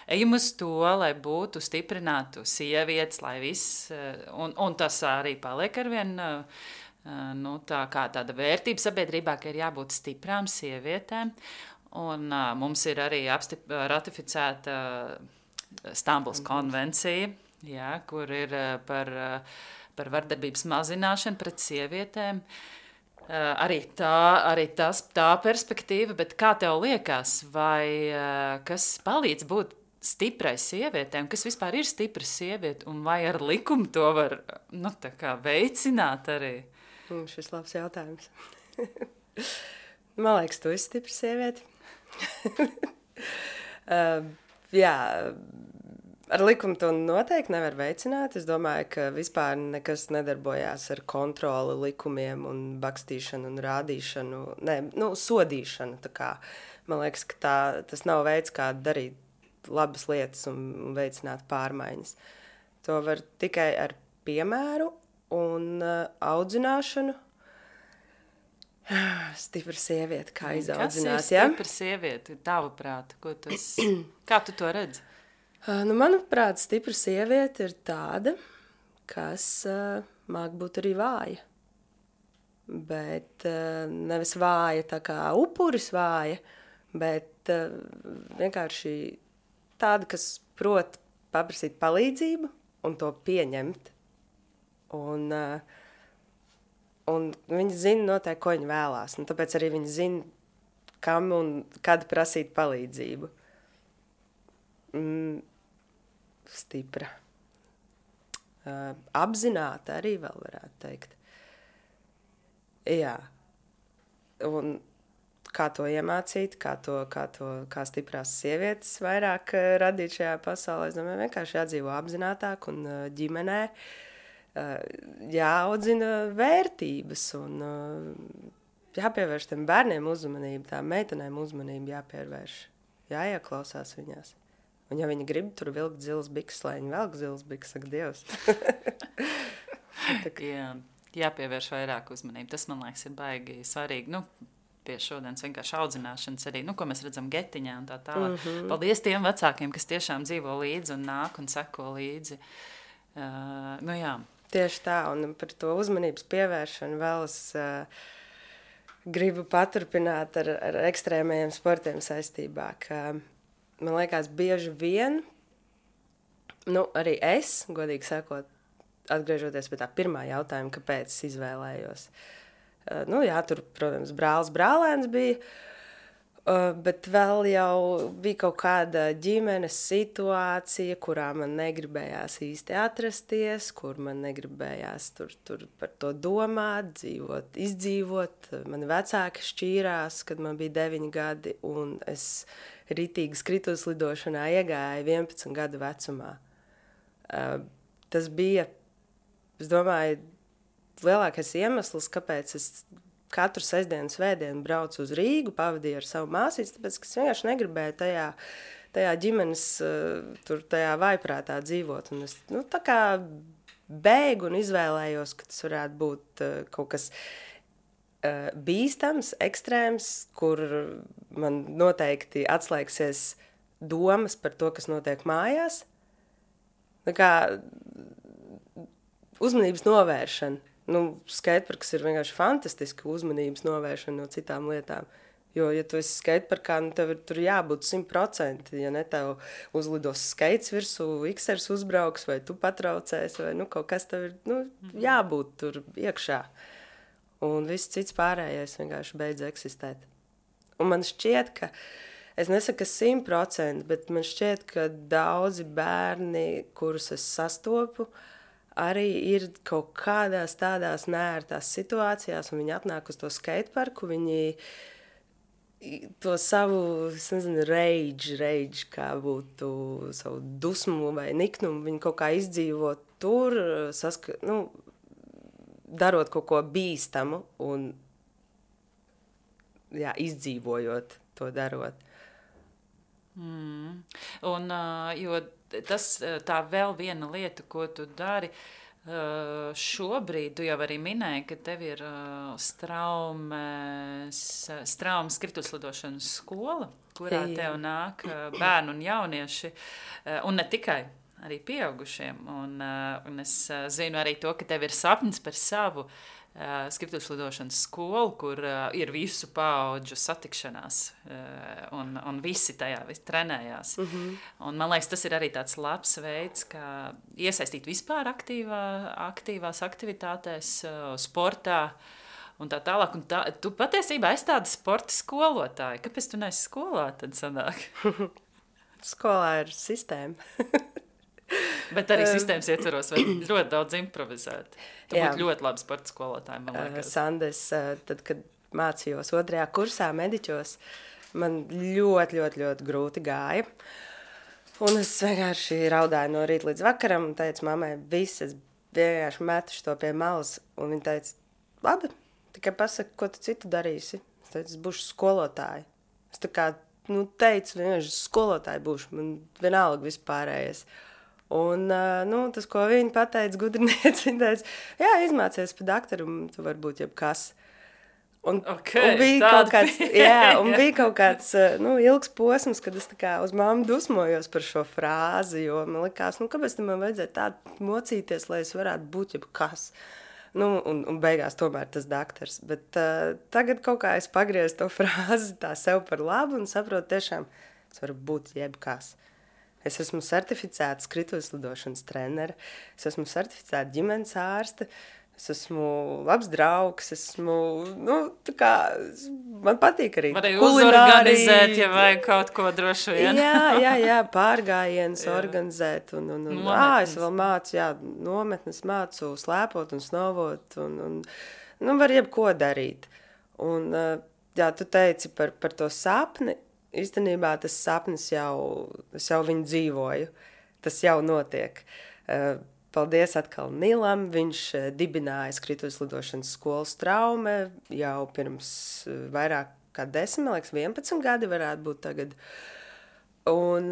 ejam uz to, lai būtu stiprinātu sievietes, lai viss, uh, un, un tas arī paliek arvien uh, nu, tā kā tāda vērtība sabiedrībā, ka ir jābūt stiprām sievietēm. Un uh, mums ir arī apstip, ratificēta uh, Stambuls konvencija, jā, kur ir par, par vardarbības mazināšanu pret sievietēm. Arī tā, arī tas, tā perspektīva, bet kā tev liekas, vai kas palīdz būt stiprai sievietēm, kas vispār ir stipra sieviete, un vai ar likumu to var nu, tā kā veicināt arī? Mm, šis labs jautājums. Man liekas, tu esi stipra sieviete. uh, jā, ar likumu to noteikti nevar veicināt. Es domāju, ka vispār nekas nedarbojās ar kontroli, likumiem un bakstīšanu un rādīšanu, ne, nu, sodīšanu. Tā kā. Man liekas, ka tā, tas nav veids, kā darīt labas lietas un veicināt pārmaiņas. To var tikai ar piemēru un uh, audzināšanu. Stipra sieviete, kā izaudzināt. Kas ir stipra sieviete, tavuprāt? Ko tas, kā tu to redzi? Nu, manuprāt, stipra sieviete ir tāda, kas uh, māk būt arī vāja. Bet uh, nevis vāja tā kā upuris vāja, bet uh, vienkārši tāda, kas prot paprasīt palīdzību un to pieņemt. Un, uh, un viņi zina noteikti, ko viņi vēlās. Un tāpēc arī viņi zina, kam un kad prasīt palīdzību. Mm. Stipra. Uh, apzināta arī vēl varētu teikt. Jā. Un kā to iemācīt, kā, to, kā, to, kā stiprās sievietes vairāk uh, radīt šajā pasaulē, es domāju, vienkārši jādzīvo apzinātāk un uh, ģimenē uh, jāaudzina vērtības un uh, jāpievērš tiem bērniem uzmanību, tām meitenēm uzmanību jāpievērš, jāieklausās viņās. Un ja viņi grib tur vilkt zilas biks, lai viņi velk zilas biks, saka Dievs. Jā, jāpievērš vairāk uzmanību. Tas, man liekas, ir baigi svarīgi. Nu, pie šodienas vienkārši audzināšanas arī, nu, ko mēs redzam getiņā un tā tālāk. Mm-hmm. Paldies tiem vecākiem, kas tiešām dzīvo līdzi un nāk un seko līdzi. Uh, nu, jā. Tieši tā, un par to uzmanības pievēršanu vēl es uh, gribu paturpināt ar, ar ekstrēmajiem sportiem saistībā, ka man liekas, bieži vien, nu, arī es, godīgi sakot, atgriežoties pie tā pirmā jautājuma, kāpēc es izvēlējos. Uh, nu, jā, tur, protams, brālis brālēns bija, uh, bet vēl jau bija kaut kāda ģimenes situācija, kurā man negribējās īsti atrasties, kur man negribējās tur, tur par to domāt, dzīvot, izdzīvot. Mani vecāki šķīrās, kad man bija deviņi gadi, un es ritīgi skritus lidošanā iegāja vienpadsmit gadu vecumā. Uh, tas bija, es domāju, lielākais iemesls, kāpēc es katru sestdienu svētdienu braucu uz Rīgu, pavadīju ar savu māsīti, tāpēc, ka es vienkārši negribēju tajā, tajā ģimenes, uh, tur tajā vaiprātā dzīvot. Un es, nu, tā kā bēgu un izvēlējos, ka tas varētu būt uh, kaut kas uh, bīstams, ekstrēms, kur man noteikti atslēgsies domas par to, kas notiek mājās. Tā kā uzmanības novēršana. Nu, skateparks ir vienkārši fantastiski uzmanības novēršana no citām lietām. Jo, ja tu esi skateparkā, nu, tev ir tur jābūt simt procenti. Ja ne tev uzlidos skates virsū, iksers uzbrauks, vai tu patraucēs, vai nu, kaut kas tev ir nu, jābūt tur iekšā. un viss cits pārējais vienkārši beidz eksistēt. Un man šķiet, ka, es nesaku simt procenti, bet man šķiet, ka daudzi bērni, kurus es sastopu, arī ir kaut kādās tādās neērtās situācijās, un viņi atnāk uz to skateparku, viņi to savu, es nezinu, rage, rage, kā būtu savu dusmu vai niknumu, viņi kaut kā izdzīvo tur, saska, nu, darot kaut ko bīstamu un, jā, izdzīvojot to darot. Mm. Un, jo tas tā vēl viena lieta, ko tu dari, šobrīd tu jau arī minēji, ka tev ir straumes, straumes krituslidošanas skola, kurā tev nāk bērni un jaunieši, un ne tikai, arī pieaugušiem. Un, un es zinu arī to, ka tev ir sapnis par savu Uh, skrituļslidošanas skolu, kur uh, ir visu paudžu satikšanās, uh, un, un visi tajā visi trenējās. Mm-hmm. Un, man liekas, tas ir arī tāds labs veids, kā iesaistīt vispār aktīvā, aktīvās aktivitātēs, uh, sportā un tā tālāk. Un tā, tu patiesībā esi tāda sporta skolotāja. Kāpēc tu neesi skolā, tad sanāk? Skolā ir sistēma. Bet arī sistēmas ietveros var ļoti daudz improvizēt. Tu jā. Būtu ļoti labi sporta skolotāji, man liekas. Sandes, tad, kad mācījos otrajā kursā mediķos, man ļoti, ļoti, ļoti grūti gāja. Un es vienkārši raudāju no rīta līdz vakaram un teicu mammai, viss, es vienkārši metuši to pie malas. Un viņa teica, labi, tikai pasaki, ko tu citu darīsi. Es teicu, es būšu skolotāja. Es tā kā, nu, teicu, vienkārši skolotāja būšu, man vienalga vispārējais. Un, nu, tas, ko viņa pateica, gudrinieci, viņa teica, jā, izmācies pa daktaru, un tu vari būt jebkas. Un, okay, un, bija kaut kāds, jā, un bija kaut kāds, nu, ilgs posms, kad es tā kā uz mammu dusmojos par šo frāzi, jo man likās, nu, kāpēc man vajadzēja tā mocīties, lai es varētu būt jebkas. Nu, un, un beigās tomēr tas daktars. Bet uh, tagad kaut kā es pagriezu to frāzi tā sev par labu un saprotu tiešām, es varu būt jebkas. Es esmu certificēta skrituļslidošanas trenere, es esmu certificēta ģimenes ārste, es esmu labs draugs, esmu, nu, tā kā, man patīk arī kulinārija. Varēja uzorganizēt, ja vajag kaut ko droši vien. Jā, jā, jā, pārgājiens organizēt, un, un, un ā, es vēl mācu, jā, nometnes mācu slēpot un snovot, un, un, nu, var jebko darīt. Un, jā, tu teici par, par to sapni. Īstenībā tas sapnis jau, es jau viņu dzīvoju, tas jau notiek. Paldies atkal Nilam, viņš dibināja skrituļslidošanas skolu Straume jau pirms vairāk kā desmit, liekas, vienpadsmit gadi varētu būt tagad. Un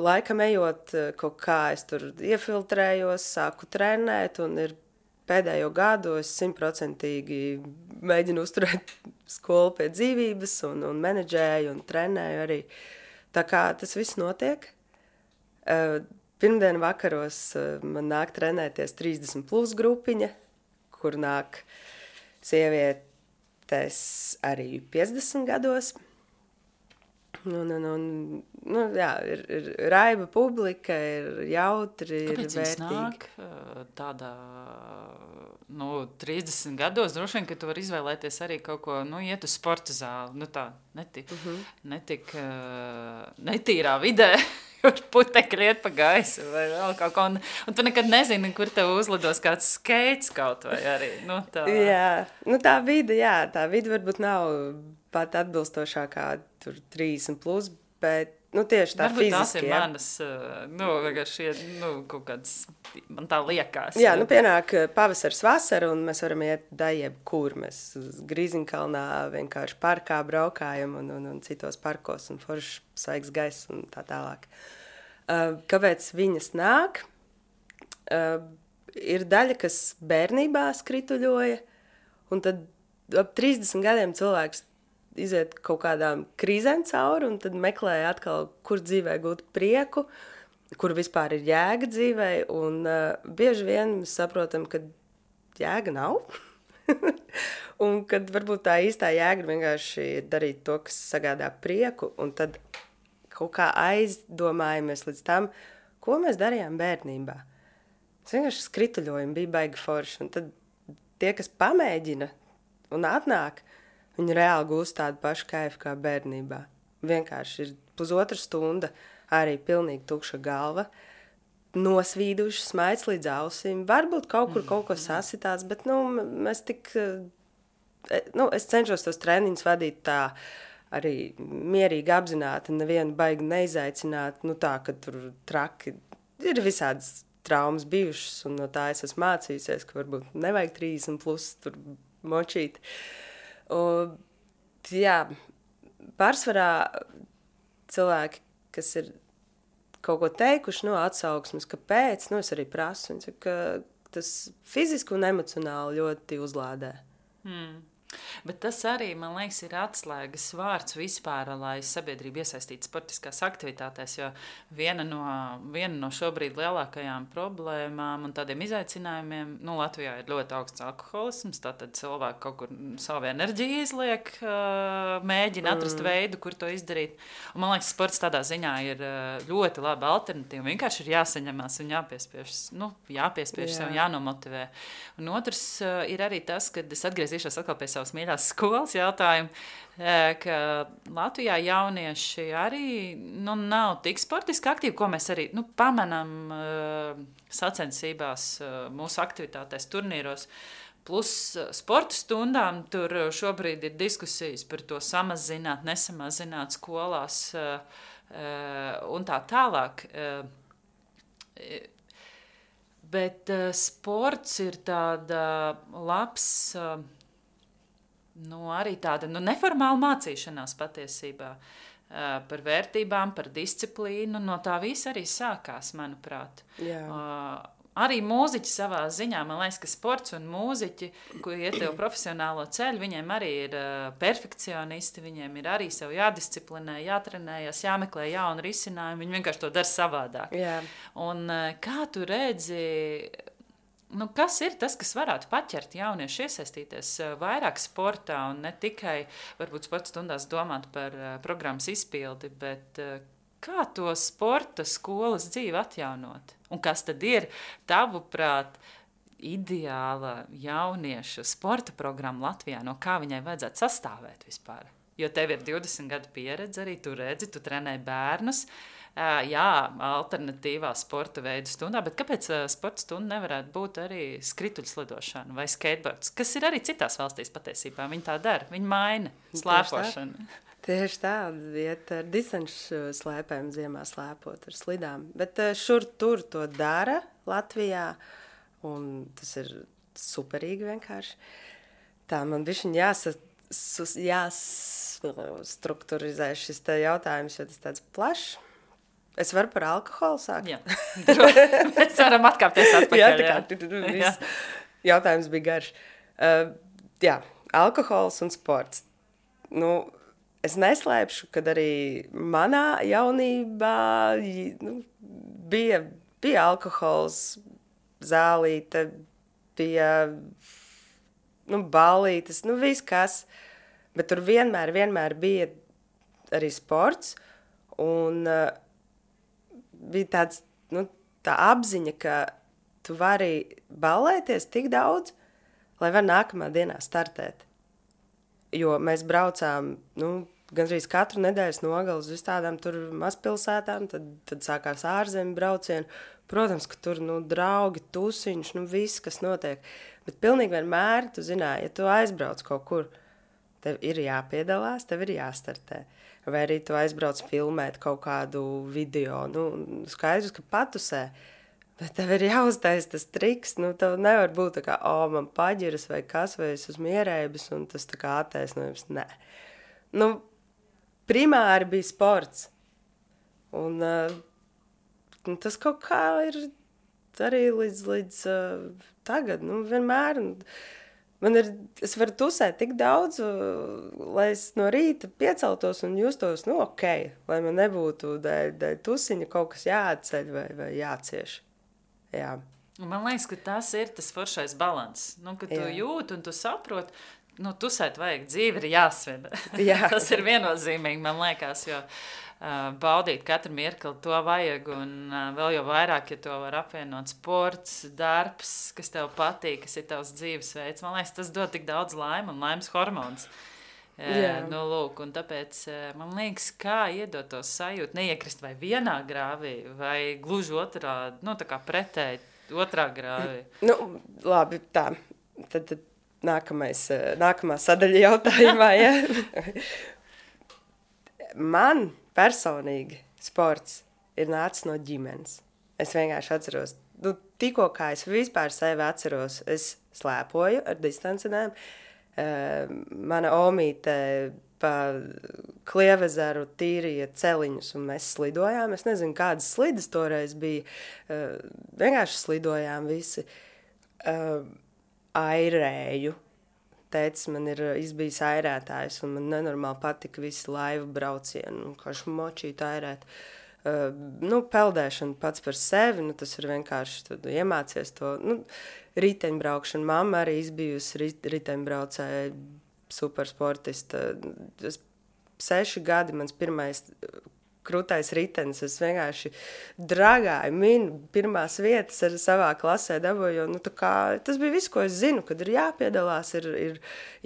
laikam ejot kaut kā es tur iefiltrējos, sāku trenēt un ir pēdējo gadu es simtprocentīgi mēģinu uzturēt skolu pie dzīvības un, un menedžēju un trenēju arī. Tā kā tas viss notiek. Uh, pirmdienu vakaros uh, man nāk trenēties trīsdesmit plus grupiņa, kur nāk sievietes arī piecdesmit gados. Un, un, un, nu, jā, ir, ir raiba publika, ir jautri, Kāpēc ir vērtīgi. Kāpēc nāk tādā, nu, trīsdesmit gados, droši vien, ka tu vari izvēlēties arī kaut ko, nu, iet uz sporta zāli, nu tā, netik, uh -huh. netik uh, netīrā vidē, kur putekļi iet pa gaisu vai vēl kaut ko, un, un tu nekad nezini, kur tev uzlidos kāds skates kaut vai arī, nu, tā. Jā, nu, tā vide, jā, tā vide varbūt nav pat atbilstošākā tur trīsdesmit plus, bet, nu, tieši tā Varbūt fiziski. Varbūt tās ir jā. Manas, nu, vienkārši, nu, kaut kāds, man tā liekas. Jā, nu, pienāk pavasars, vasara, un mēs varam iet da jebkur. Mēs uz Grīziņkalnā vienkārši parkā braukājam un, un, un citos parkos, un foršs svaigs gaiss un tā tālāk. Uh, kāpēc viņas nāk? Uh, ir daļa, kas bērnībā skrituļoja, un tad ap trīsdesmit gadiem cilvēks iziet kaut kādām krīzēm cauri un tad meklē atkal, kur dzīvē gūt prieku, kur vispār ir jēga dzīvē, un uh, bieži vien mēs saprotam, ka jēga nav, un kad varbūt tā īstā jēga vienkārši darīt to, kas sagādā prieku, un tad kaut kā aizdomājamies līdz tam, ko mēs darījām bērnībā. Mēs vienkārši skrituļojam, bija baigi forši, un tad tie, kas pamēģina un atnāk, viņi reāli gūst tādu pašu kaifu kā bērnībā. Vienkārši ir pusotra stunda, arī pilnīgi tukša galva, nosvīduši, smaids līdz ausīm. Varbūt kaut kur kaut ko sasitās, bet nu, mēs tik, nu, es cenšos tos treniņus vadīt tā arī mierīgi apzināti, nevienu baigi neizaicināt, nu tā, ka tur traki ir visādas traumas bijušas, un no tā es esmu mācījusies, ka varbūt nevajag trīsdesmit plus tur močīt. Un, jā, pārsvarā cilvēki, kas ir kaut ko teikuši, no atsauksmes, kāpēc, nu es arī prasu, viņi saka, ka tas fiziski un emocionāli ļoti uzlādē. Hmm. Bet tas arī, man liekas, ir atslēgas vārds vispār, lai sabiedrība iesaistītu sportiskās aktivitātēs, jo viena no, viena no šobrīd lielākajām problēmām un tādiem izaicinājumiem, nu, Latvijā ir ļoti augsts alkoholisms, tātad cilvēki kaut kur savu enerģiju izliek, mēģina atrast mm. veidu, kur to izdarīt. Un man liekas, sports tādā ziņā ir ļoti laba alternatīva. Vienkārši ir jāsaņemās un jāpiespiež, nu, jāpiespiež Jā. sev, jānomotivē. Un otrs ir arī tas, kad es atgriezīšos atkal pie savas mīļās skolas jautājumu, ka Latvijā jaunieši arī nu, nav tik sportiski aktīvi, ko mēs arī nu, pamanām uh, sacensībās, uh, mūsu aktivitātēs, turnīros. Plus sporta stundām tur šobrīd ir diskusijas par to samazināt, nesamazināt skolās uh, uh, un tā tālāk. Uh, bet uh, sports ir tāda labs... Uh, Nu, arī tāda nu, neformāla mācīšanās patiesībā uh, par vērtībām, par disciplīnu. No tā viss arī sākās, manuprāt. Uh, arī mūziķi savā ziņā, man liekas, ka sports un mūziķi, ko iet tev profesionālo ceļu, viņiem arī ir uh, perfekcionisti, viņiem ir arī sev jādisciplinē, jātrenējas, jāmeklē jaunu risinājumu, viņi vienkārši to dara savādāk. Jā. Un uh, kā tu redzi... Nu, kas ir tas, kas varētu paķert jauniešu iesaistīties vairāk sportā un ne tikai varbūt sporta stundās domāt par uh, programmas izpildi, bet uh, kā to sporta skolas dzīvi atjaunot? Un kas tad ir, tavuprāt, ideāla jauniešu sporta programma Latvijā, no kā viņai vajadzētu sastāvēt vispār? Jo tev ir divdesmit gadu pieredze arī, tu redzi, tu trenē bērnus. Jā, alternatīvā sporta veidu stundā, bet kāpēc sporta stunda nevarētu būt arī skrituļslidošana vai skateboards, kas ir arī citās valstīs patiesībā? Viņi tā dara, viņi maina slēpošanu. Tieši tā, iet ar distanču slēpēm ziemā slēpot ar slidām, bet šur tur to dara Latvijā, un tas ir superīgi vienkārši. Tā man bišķiņ jāsa, jāstrukturizē šis te jautājums, jo tas tāds plašs. Es varu par alkoholu sākt? Jā, mēs varam atkāpties atpakaļ. Jā, tā kā jā. Viss jautājums bija garš. Uh, jā, alkohols un sports. Nu, es neslēpšu, kad arī manā jaunībā nu, bija, bija alkohols, zālīte, bija nu, ballītes, nu viss kas. Bet tur vienmēr, vienmēr bija arī sports un... Uh, bija tāds, nu, tā apziņa, ka tu vari ballēties tik daudz, lai var nākamā dienā startēt. Jo mēs braucām, nu, gandrīz katru nedēļas nogali uz tādām tur mazpilsētām, tad, tad sākās ārzemju braucieni. Protams, ka tur, nu, draugi, tusiņš, nu, viss, kas notiek. Bet pilnīgi vienmēr, tu zināji, ja tu aizbrauc kaut kur, tev ir jāpiedalās, tev ir jāstartē. Vai arī tu aizbrauc filmēt kaut kādu video, nu, skaidrs, ka patusē, bet tev ir jāuztais tas triks, nu, tev nevar būt tā kā, o, man paģiras vai kas, vai es esmu ierēbis, un tas tā kā attaisnojums, nē. Nu, primāri bija sports, un uh, tas kaut kā ir arī līdz, līdz uh, tagad, nu, vienmēr, un, man ir, es varu tusēt tik daudz, lai es no rīta pieceltos un justos, nu, ok, lai man nebūtu dēļ, dēļ tusiņa kaut kas jāatceļ vai, vai jācieš. Jā. Man liekas, ka tas ir tas foršais balans, nu, ka tu Jā. Jūti un tu saproti, nu, tusēt vajag, dzīve ir jāsved. Jā. Tas ir viennozīmīgi, man liekas, jo uh, baudīt katru mirkli, to vajag, un uh, vēl jau vairāk, ja to var apvienot sports, darbs, kas tev patīk, kas ir tavs dzīvesveids. Man liekas, tas dod tik daudz laime un laimes hormonus. Jā. Nu, lūk, un tāpēc man liekas, kā iedot to sajūtu, neiekrist vai vienā grāvī, vai gluži otrā, nu, tā kā pretēji otrā grāvī. Nu, labi, tā. Tad, tad nākamais, nākamā sadaļa jautājumā, ja? Man personīgi sports ir nācis no ģimenes. Es vienkārši atceros, nu, tikko kā es vispār sevi atceros, es slēpoju ar distancinēm. Uh, mana omīte pa Klievezeru tīrīja celiņus, un mēs slidojām. Es nezinu, kādas slidas toreiz bija. Uh, vienkārši slidojām visi. Uh, airēju. Tētis man ir izbijis airētājs, un man nenormāli patika visi laivu braucieni, un kā šmočīt airēt. Uh, nu, peldēšana pats par sevi, nu, tas ir vienkārši, tad iemācies to, nu, riteņbraukšana. Mamma arī izbijusi rit, riteņbraucēja, supersportista. Es, seši gadi, mans pirmais krūtais ritenis, es vienkārši dragāju, minu pirmās vietas ar savā klasē dabūju, nu, tā kā, tas bija viss, ko es zinu, kad ir jāpiedalās, ir, ir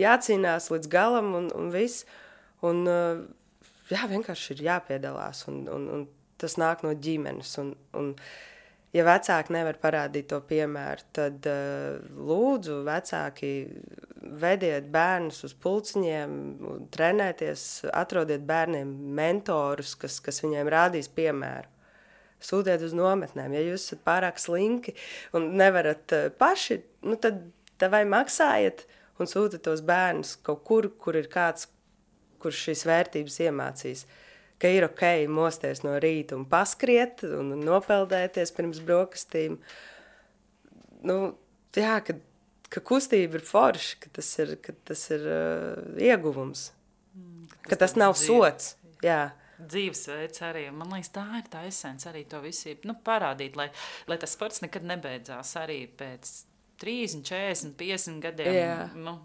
jācīnās līdz galam un, un viss. Un, jā, vienkārši ir jāpiedalās, un, un, un tas nāk no ģimenes, un, un ja vecāki nevar parādīt to piemēru, tad uh, lūdzu vecāki vediet bērnus uz pulciņiem, trenēties, atrodiet bērniem mentorus, kas, kas viņiem rādīs piemēru. Sūtiet uz nometnēm, ja jūs esat pārāk slinki un nevarat uh, paši, nu tad vai maksājiet un sūtiet tos bērnus kaut kur, kur ir kāds, kurš šīs vērtības iemācīs. Ka ir ok mosties no rīta un paskriet un nopeldēties pirms brokastīm. Nu, jā, ka, ka kustība ir forša, ka tas ir, ka tas ir uh, ieguvums. Mm, ka tas nav dzīve. Sots. Jā. Dzīvesveids arī. Man liekas, tā ir tā esence arī to visu, nu, parādīt, lai, lai tas sports nekad nebeidzās arī pēc trīsdesmit, četrdesmit, piecdesmit gadiem. Jā. Nu.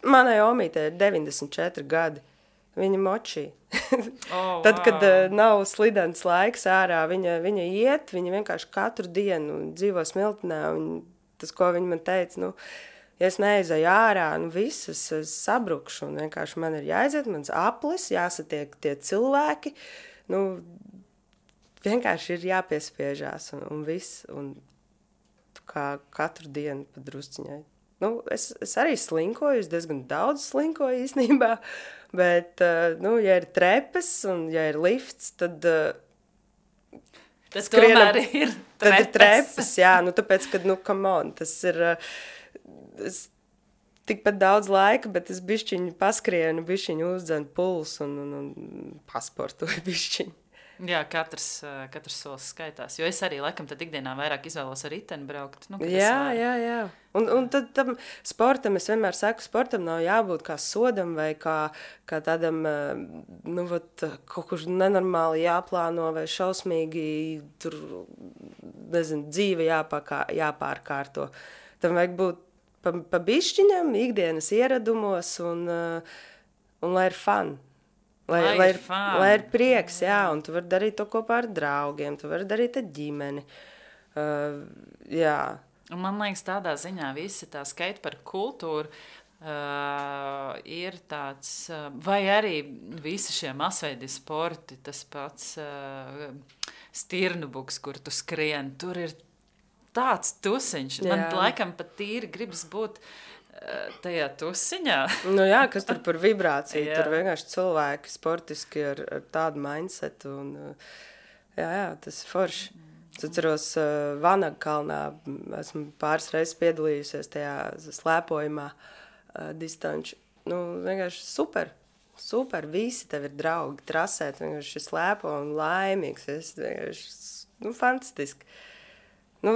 Manai omītei ir deviņdesmit četri gadi. Viņa močī. Oh, Tad, wow. kad uh, nav slidens laiks ārā, viņa, viņa iet, viņa vienkārši katru dienu dzīvo smiltenē. Un tas, ko viņa man teica, nu, ja es neaizeju ārā, nu viss, es, es sabrukšu. Un vienkārši man ir jāaiziet, mans aplis, jāsatiek tie cilvēki. Nu, vienkārši ir jāpiespiežās un, un viss. Un kā katru dienu pa drusciņai. Nu, es, es arī slinkoju, es diezgan daudz slinkoju īstenībā. Bet, uh, nu, ja ir trepes un ja ir lifts, tad... Uh, tas skrienam, tomēr ir trepes. Tad ir trepes, jā. Nu, tāpēc, kad, nu, come on, tas ir... Uh, es, tikpat daudz laika, bet es bišķiņu paskrienu, bišķiņu uzdzen pulsu un, un, un pasportoju bišķiņu. Jā, katrs, katrs solis skaitās. Jo es arī, laikam, tad ikdienā vairāk izvēlos ar riteni braukt. Nu, jā, jā, jā. Un, un tad tam sportam, es vienmēr saku, sportam nav jābūt kā sodam vai kā, kā tādam, nu, vat, kaut kur nenormāli jāplāno vai šausmīgi tur, nezinu, dzīve jāpakā, jāpārkārto. Tam vajag būt pa, pa bišķiņam, ikdienas ieradumos un, un lai ir fun. Lai, lai, lai, ir, lai ir prieks, jā, un tu vari darīt to kopā ar draugiem, tu vari darīt ar ģimeni. Uh, jā. Un man liekas, tādā ziņā visi tā skateparku kultūra uh, ir tāds, uh, vai arī visi šie masveidi sporti, tas pats uh, stirnubuks, kur tu skrien, tur ir tāds tusiņš. Jā. Man laikam pat tīri gribas būt tajā tusiņā. Nu jā, kas tur par vibrāciju, tur vienkārši cilvēki sportiski ar, ar tādu mindsetu un jā, jā, tas ir forši. Es atceros uh, Vanagkalnā, esmu pāris reizes piedalījusies tajā slēpojumā uh, distanču. Nu, vienkārši super, super, visi tev ir draugi, trasēt, vienkārši slēpo un laimīgs, es vienkārši, nu, fantastiski. Nu,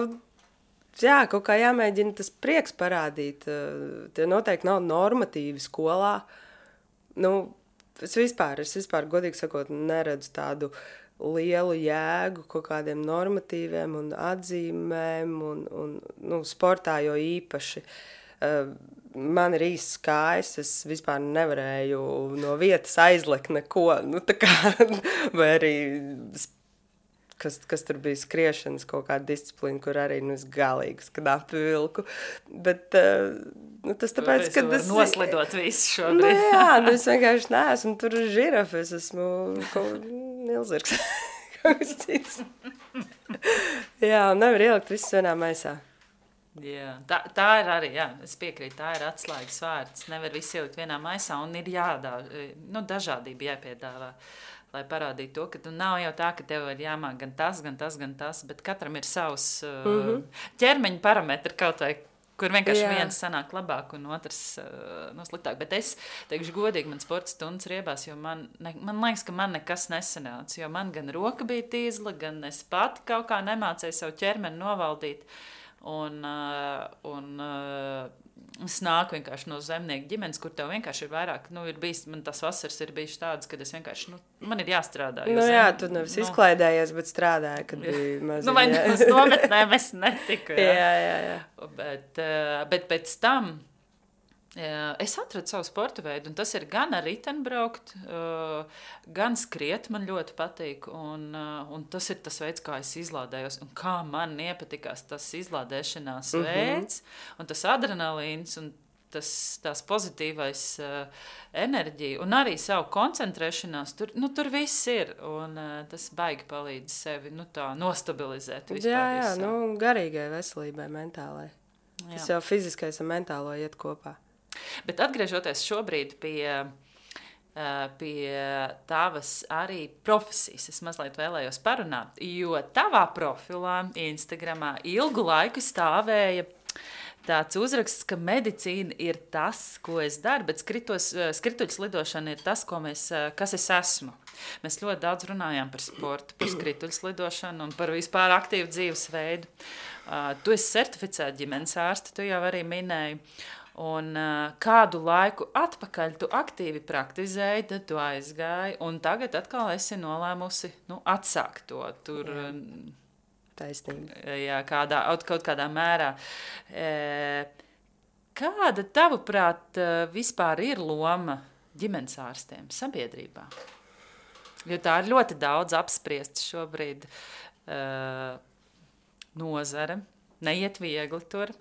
jā, kaut kā jāmēģina tas prieks parādīt. Tie noteikti nav normatīvi skolā. Nu, es vispār, es vispār, godīgi sakot, neredzu tādu lielu jēgu kaut kādiem normatīviem un atzīmēm un, un nu, sportā jo īpaši. man ir īsts kājas, es vispār nevarēju no vietas aizlekt neko, nu tā kā, vai arī, kas, kas tur bija skriešanas kaut kāda disciplīna, kur arī, nu, es galīgi knapi vilku, bet, nu, tas tāpēc, ka tas... Noslidot visu šobrīd. Nu, jā, nu, es vienkārši neesmu tur žirafa, es esmu kaut milzirgs, kaut kas cits. Jā, un nevar ielikt visu vienā maisā. Jā, tā, tā ir arī, jā, es piekrītu, tā ir atslēgas vārds. Nevar visu ielikt vienā maisā un ir jādā, nu, dažādība jāpiedāvā, lai parādītu to, ka tu nav jau tā, ka tev ir jāmāk gan tas, gan tas, gan tas, bet katram ir savs mm-hmm. ķermeņa parametri kaut vai, kur vienkārši jā. Viens sanāk labāk un otrs uh, no sliktāk. Bet es teikšu godīgi, man sporta stundas riebās, jo man, ne, man liekas, ka man nekas nesanāca, jo man gan roka bija tīzla, gan es pati kaut kā nemācēju savu ķermeni novaldīt. Un, uh, un uh, es nāku vienkārši no zemnieku ģimenes, kur tev vienkārši ir vairāk, nu, ir bijis, man tas vasaras ir bijis tāds, kad es vienkārši, nu, man ir jāstrādā. Nu, zem, jā, tu nevis nu, izklaidējies, bet strādāji, kad bija maziņi. Nu, vai uz nometnēm es netiku, jā. jā, jā, jā. Bet, uh, bet pēc tam uh, es atradu savu sporta veidu, un tas ir gan ar riteni braukt, uh, gan skriet man ļoti patīk, un, uh, un tas ir tas veids, kā es izlādējos, un kā man iepatikās tas izlādēšanās mm-hmm. veids, un tas adrenalīns, un tas, tās pozitīvais uh, enerģija, un arī savu koncentrēšanās, tur, nu, tur viss ir, un uh, tas baigi palīdz sevi, nu, tā nostabilizēt vispār. Jā, jā, visā. nu, garīgai veselībai, mentālai. Jā. Tas jau fiziskais un mentālo iet kopā. Bet atgriežoties šobrīd pie, pie tavas arī profesijas, es mazliet vēlējos parunāt, jo tavā profilā Instagramā ilgu laiku stāvēja tāds uzraksts, ka medicīna ir tas, ko es daru, bet skritos, skrituļs lidošana ir tas, ko mēs, kas es esmu. Mēs ļoti daudz runājām par sportu, par skrituļs lidošanu un par vispār aktīvu dzīvesveidu. Tu esi certificēta ģimenes ārste, tu jau arī minēji. Un uh, kādu laiku atpakaļ tu aktīvi praktizēji, tad tu aizgāji, un tagad atkal esi nolēmusi, nu, atsākt to tur. Jā. Taisnība. Jā, kādā, kaut kādā mērā. E, kāda, tavuprāt, vispār ir loma ģimenes ārstiem sabiedrībā? Jo tā ir ļoti daudz apspriesta šobrīd uh, nozare, neiet viegli tur.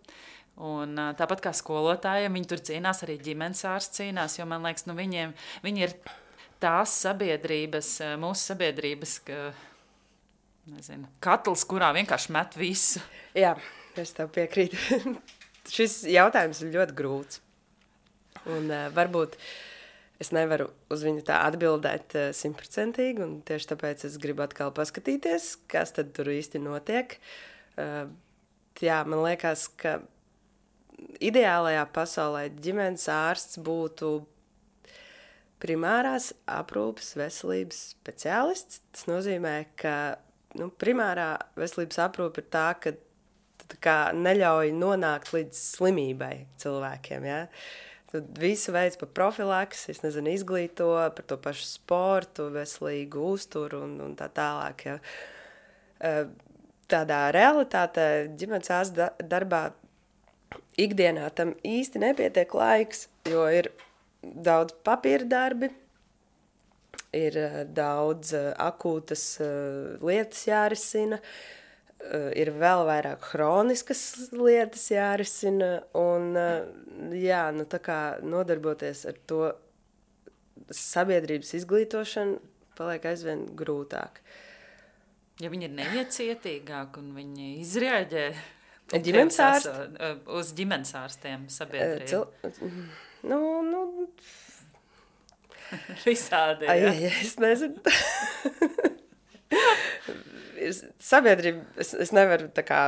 Un tāpat kā skolotājiem, viņi tur cīnās, arī ģimenes ārsts cīnās, jo man liekas, nu viņiem, viņi ir tās sabiedrības, mūsu sabiedrības, ka, nezinu, katls, kurā vienkārši met visu. Jā, es tev piekrītu. Šis jautājums ir ļoti grūts. Un uh, varbūt es nevaru uz viņu tā atbildēt uh, simtprocentīgi, un tieši tāpēc es gribu atkal paskatīties, kas tad tur īsti notiek. Uh, jā, man liekas, ka ideālajā pasaulē ģimenes ārsts būtu primārās aprūpes veselības speciālists. Tas nozīmē, ka nu, primārā veselības aprūpe ir tā, ka tā kā neļauj nonākt līdz slimībai cilvēkiem. Ja? Tad visu veids pa profilaks, es nezinu, izglīto par to pašu sportu, veselīgu uzturu un, un tā tālāk. Ja? Tādā realitātē ģimenes ārsta darbā ikdienā tam īsti nepietiek laiks, jo ir daudz papīra darbi, ir daudz akūtas lietas jārisina, ir vēl vairāk hroniskas lietas jārisina, un jā, nu tā kā nodarboties ar to sabiedrības izglītošanu paliek aizvien grūtāk. Ja viņi ir neiecietīgāki un viņi izrēģē ģimenes ārsti? Uz ģimenes ārstiem sabiedrību. Cil... Nu, nu... Visādi, jā. Ai, es nezinu. Sabiedrība, es, es nevaru tā kā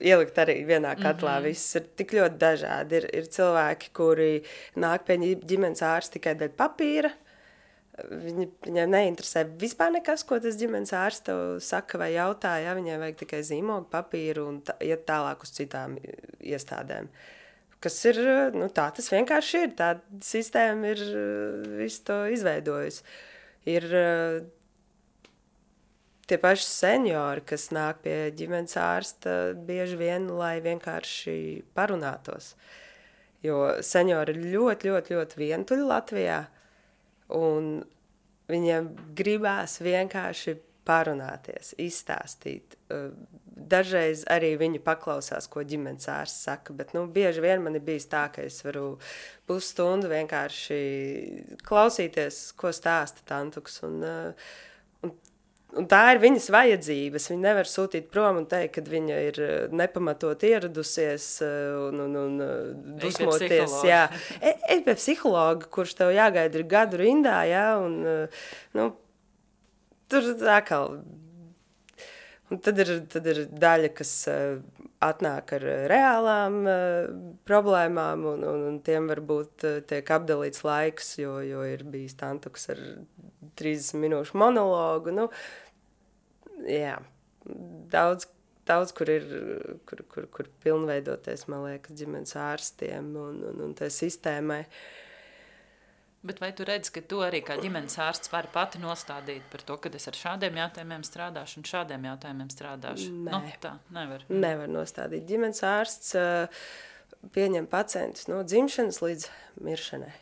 ielikt arī vienā katlā. Mm-hmm. Viss ir tik ļoti dažādi. Ir, ir cilvēki, kuri nāk pie ģimenes ārsta tikai dēļ papīra. Viņi, viņiem neinteresē vispār nekas, ko tas ģimenes ārsts tev saka vai jautā, ja viņiem vajag tikai zīmogu, papīru un tā, iet tālāk uz citām iestādēm. Kas ir, nu tā tas vienkārši ir, tā sistēma ir visu to izveidojusi. Ir tie paši seniori, kas nāk pie ģimenes ārsta bieži vien, lai vienkārši parunātos. Jo seniori ir ļoti, ļoti, ļoti vientuļi Latvijā, un viņiem gribās vienkārši parunāties, izstāstīt. Dažreiz arī viņi paklausās, ko ģimenes ārsts saka, bet nu, bieži vien man ir bijis tā, ka es varu pusstundu vienkārši klausīties, ko stāsta tantuks. Un, un, un tā ir viņas vajadzības. Viņa nevar sūtīt prom un teikt, ka viņa ir nepamatot ieradusies un, un, un dusmoties. Jā, ej pie psihologa, kurš tev jāgaida ir gadu rindā, jā, un nu, tur atkal. Un tad ir, tad ir daļa, kas uh, atnāk ar reālām uh, problēmām, un, un, un tiem varbūt uh, tiek apdalīts laiks, jo, jo ir bijis tantuks ar trīsdesmit minūšu monologu. Nu, jā, daudz, daudz kur ir, kur, kur, kur pilnveidoties, man liekas, ģimenes ārstiem un, un, un tai sistēmai. Bet vai tu redzi, ka tu arī kā ģimenes ārsts vari pati nostādīt par to, ka es ar šādiem jautājumiem strādāšu un šādiem jautājumiem strādāšu? Nē. Nu, tā, nevar. Nevar nostādīt. Ģimenes ārsts uh, pieņem pacientus no dzimšanas līdz miršanai.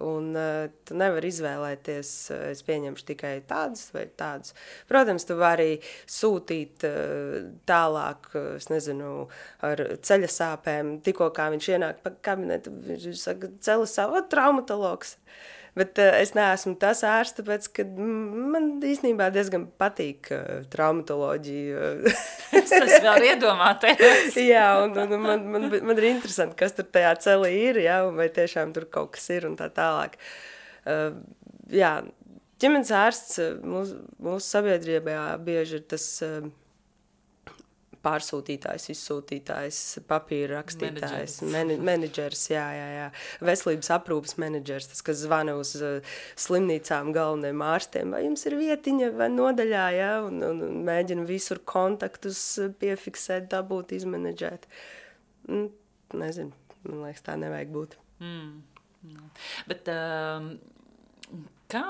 Un uh, tu nevari izvēlēties, uh, es pieņemšu tikai tādus vai tādus. Protams, tu vari sūtīt uh, tālāk, uh, es nezinu, ar ceļa sāpēm. Tikko kā viņš ienāk pa kabinetu, viņš saka, ceļa sāpes, traumatologs. Bet uh, es neesmu tas ārsts, tāpēc, ka man īstenībā diezgan patīk uh, traumatoloģija. Es tas vēl iedomāties. Jā, un, un man, man, man ir interesanti, kas tur tajā celī ir, jā, un vai tiešām tur kaut kas ir un tā tālāk. Uh, jā, ģimenes ārsts mūsu, mūsu sabiedrībā bieži ir tas uh, pārsūtītājs, izsūtītājs, papīra rakstītājs, menedžers, menedžers, jā, jā, jā, veselības aprūpas menedžers, tas, kas zvana uz uh, slimnīcām galvenajiem ārstiem, vai jums ir vietiņa vai nodaļā, jā, un, un, un mēģina visur kontaktus piefiksēt, dabūt, izmenedžēt. Mm, nezinu, man liekas, tā nevajag būt. Mm. Bet um, kā...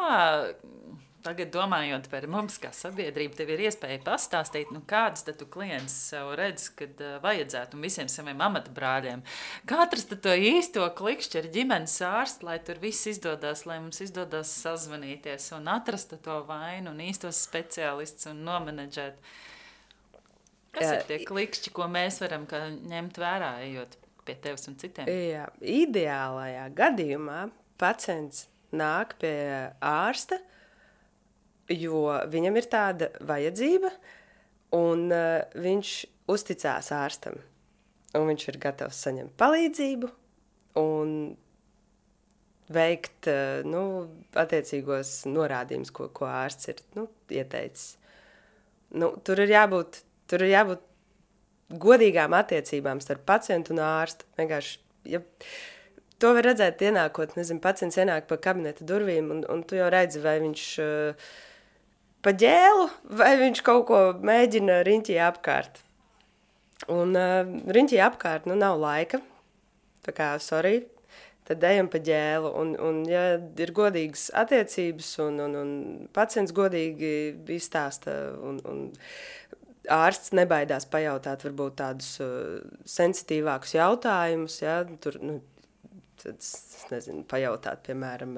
Tagad domājot par mums kā sabiedrību, tev ir iespēja pastāstīt, nu kādas tad tu klients sev redz, kad uh, vajadzētu un visiem saviem amatabrāļiem. Kā atrast to īsto klikšķi ar ģimenes ārstu, lai tur viss izdodas, lai mums izdodas sazvanīties un atrast to vainu un īstos speciālistus un nomenedžēt. Kas Jā, ir tie klikšķi, ko mēs varam kā ņemt vērā, ejot pie tevis un citiem? Jā, ideālajā gadījumā pacients nāk pie ārsta, jo viņam ir tāda vajadzība, un uh, viņš uzticās ārstam, un viņš ir gatavs saņemt palīdzību un veikt uh, nu, attiecīgos norādījumus, ko, ko ārsts ir nu, ieteicis. Nu, tur ir jābūt, tur ir jābūt godīgām attiecībām starp pacientu un ārstu. Vienkārši, ja to var redzēt ienākot, nezinu, pacients ienāk pa kabineta durvīm, un, un tu jau redzi, vai viņš uh, pa ģēlu, vai viņš kaut ko mēģina riņķī apkārt. Un uh, riņķī apkārt, nu, nav laika, tā kā, sorry, tad ejam pa ģēlu. Un, un ja ir godīgas attiecības, un, un, un pacients godīgi izstāsta, un, un ārsts nebaidās pajautāt varbūt tādus uh, sensitīvākus jautājumus, ja, tur, nu, tad, es nezinu, pajautāt, piemēram,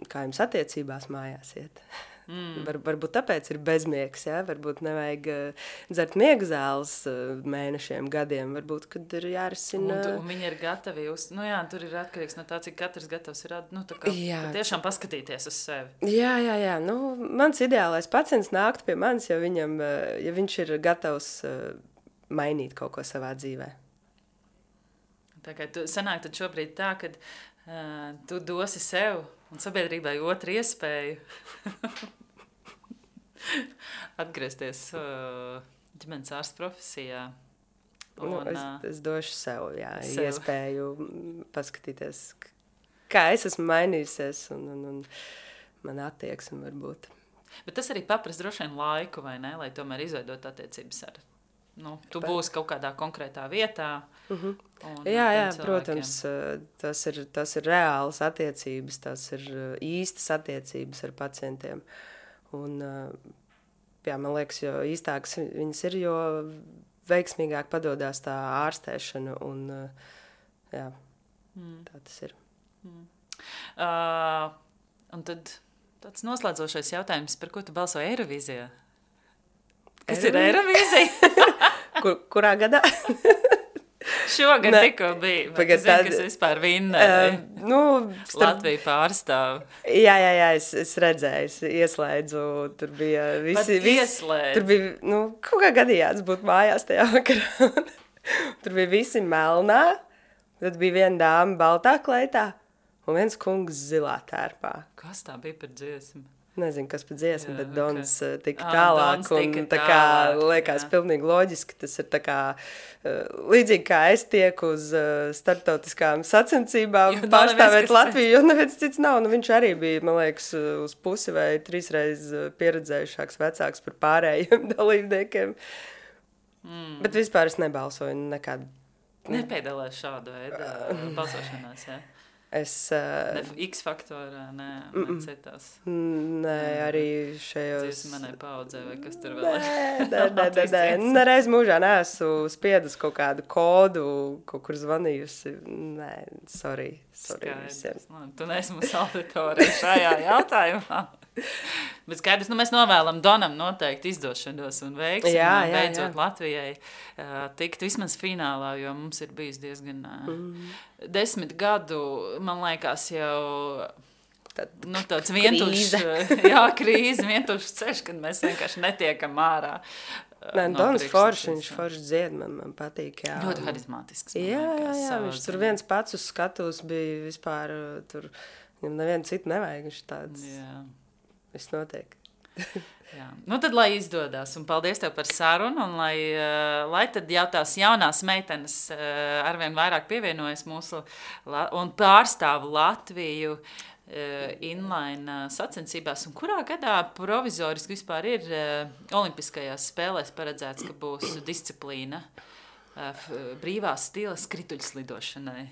kā jums attiecībās mājās iet. Mm. Var, varbūt tāpēc ir bezmiegs, ja? Varbūt nevajag uh, dzert miega zāles uh, mēnešiem, gadiem, varbūt, kad ir jārisina. Un, tu, un viņi ir gatavi, uz, nu jā, tur ir atkarīgs no tā, cik katrs gatavs ir, nu tā kā jā, tiešām paskatīties uz sevi. Jā, jā, jā, nu, mans ideālais pacients nākt pie manis, ja, viņam, uh, ja viņš ir gatavs uh, mainīt kaut ko savā dzīvē. Tā kā tu sanāk tad šobrīd tā, kad uh, tu dosi sev un sabiedrībai otru iespēju atgriezties uh, ģimenes ārsta profesijā. Un, nu, es, uh, es došu sev, jā, sev. iespēju paskatīties, kā es esmu mainījusies un, un, un man attieksme varbūt. Bet tas arī paprast droši vien laiku, vai ne, lai tomēr izveidot attiecības ar, nu, tu būsi kaut kādā konkrētā vietā. Uh-huh. Un, jā, jā, protams, tas ir, tas ir reālas attiecības, tas ir īstas attiecības ar pacientiem. Un, jā, man liekas, jo īstākas viņas ir, jo veiksmīgāk padodās tā ārstēšana un, jā. Mm. Tā tas ir. Mm. Uh, un tad tāds noslēdzošais jautājums, par ko tu balsoji Eirovīzijā? Kas ir Eirovīzija? Kur, kurā gadā? Šogad ne, tikko bija. Pagad, zini, kas vispār vinnēja? Uh, nu, starp... Latviju pārstāv. Jā, jā, jā, es, es redzēju, es ieslēdzu, tur bija visi... Pat ieslēdzu. Tur bija, nu, kaut kā gadījās būt mājās tajā vakarā. Tur bija visi melnā, tad bija viena dāma baltā kleitā un viens kungs zilā tērpā. Kas tā bija par dziesmu? Nezinu, kas par dziesmu, jā, bet Dons okay. tika ah, tālāk, Dons un tika tā kā tālāk, liekas jā. Pilnīgi loģiski, tas ir tā kā, uh, līdzīgi kā es tieku uz uh, starptautiskām sacensībām pārstāvēt Latviju, jo neviens cits nav, nu viņš arī bija, man liekas, uz pusi vai trīsreiz pieredzējušāks vecāks par pārējiem dalībniekiem, mm. bet vispār es nebalsoju nekad. Nepiedalās šādu veidu balsošanās, jā? Es... Uh, ne X faktorā, nē, ne citās. Nē, arī šajos... Dziesmu manai paudzē, vai kas tur vēl ir? Nē, nē, nē, nē. Nereiz mūžā neesmu spiedus kaut kādu kodu, kaut kur zvanījusi. Nē, sorry, sorry visiem. Tu neesi mūsu auditorija šajā jautājumā. Bet skaidrs, nu mēs novēlam Donam noteikti izdošanos un veiksmi, jā, un beidzot jā, jā. Latvijai uh, tikt vismaz finālā, jo mums ir bijis diezgan uh, mm. desmit gadu, man liekas, jau Tad, nu, tāds vientušs, jā, krīze, vientušs ceļš, kad mēs vienkārši netiekam ārā. Nē, Dons forši, viņš forši dzied, man, man patīk, jā. Ļoti harizmātisks. Jā, jā, jā, viņš tur viens pats uz skatus bija vispār, tur, viņam nevienu citu nevajag, viņš tāds... Jā. Viss notiek. Jā. Nu tad, lai izdodas, un paldies tev par sarunu, un lai, uh, lai tad jau tās jaunās meitenes uh, arvien vairāk pievienojas mūsu un pārstāv Latviju uh, inline uh, sacensībās, un kurā gadā provizoriski vispār ir uh, olimpiskajās spēlēs paredzēts, ka būs disciplīna uh, brīvā stila skrituļslidošanai?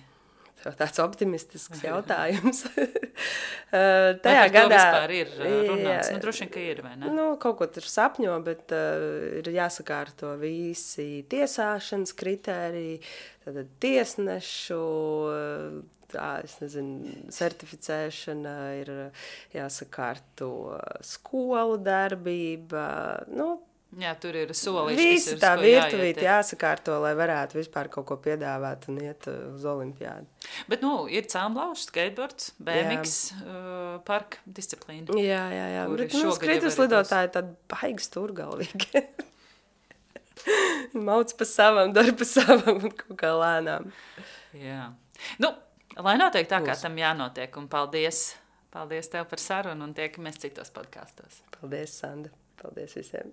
Tāds optimistisks jautājums. uh, tajā vai gadā vispār ir runāts? Nu, droši vien, ka ir, vai ne? Nu, kaut ko tur sapņo, bet uh, ir jāsakārto visi tiesāšanas kritēriji, tātad tiesnešu, tā, es nezinu, certificēšana, ir jāsakārto skolu darbība, nu, jā, tur ir soliši, visi kas ir, tā virtuvīti jāiet. jāsakārto, lai varētu vispār kaut ko piedāvāt un iet uz olimpiādu. Bet, nu, ir cēmlaušs, skateboards, B M X uh, parka disciplīna. Jā, jā, jā. Bet, nu, skrituļslidotāji tad baigi stūrgalvīgi. Mauc pa savam, dar pa savam un kaut kā lēnām. Jā. Nu, lai notiek tā, kā tam jānotiek. Un paldies, paldies tev par sarunu un tiekamies citos podkastos. Paldies, Sanda. Paldies visiem.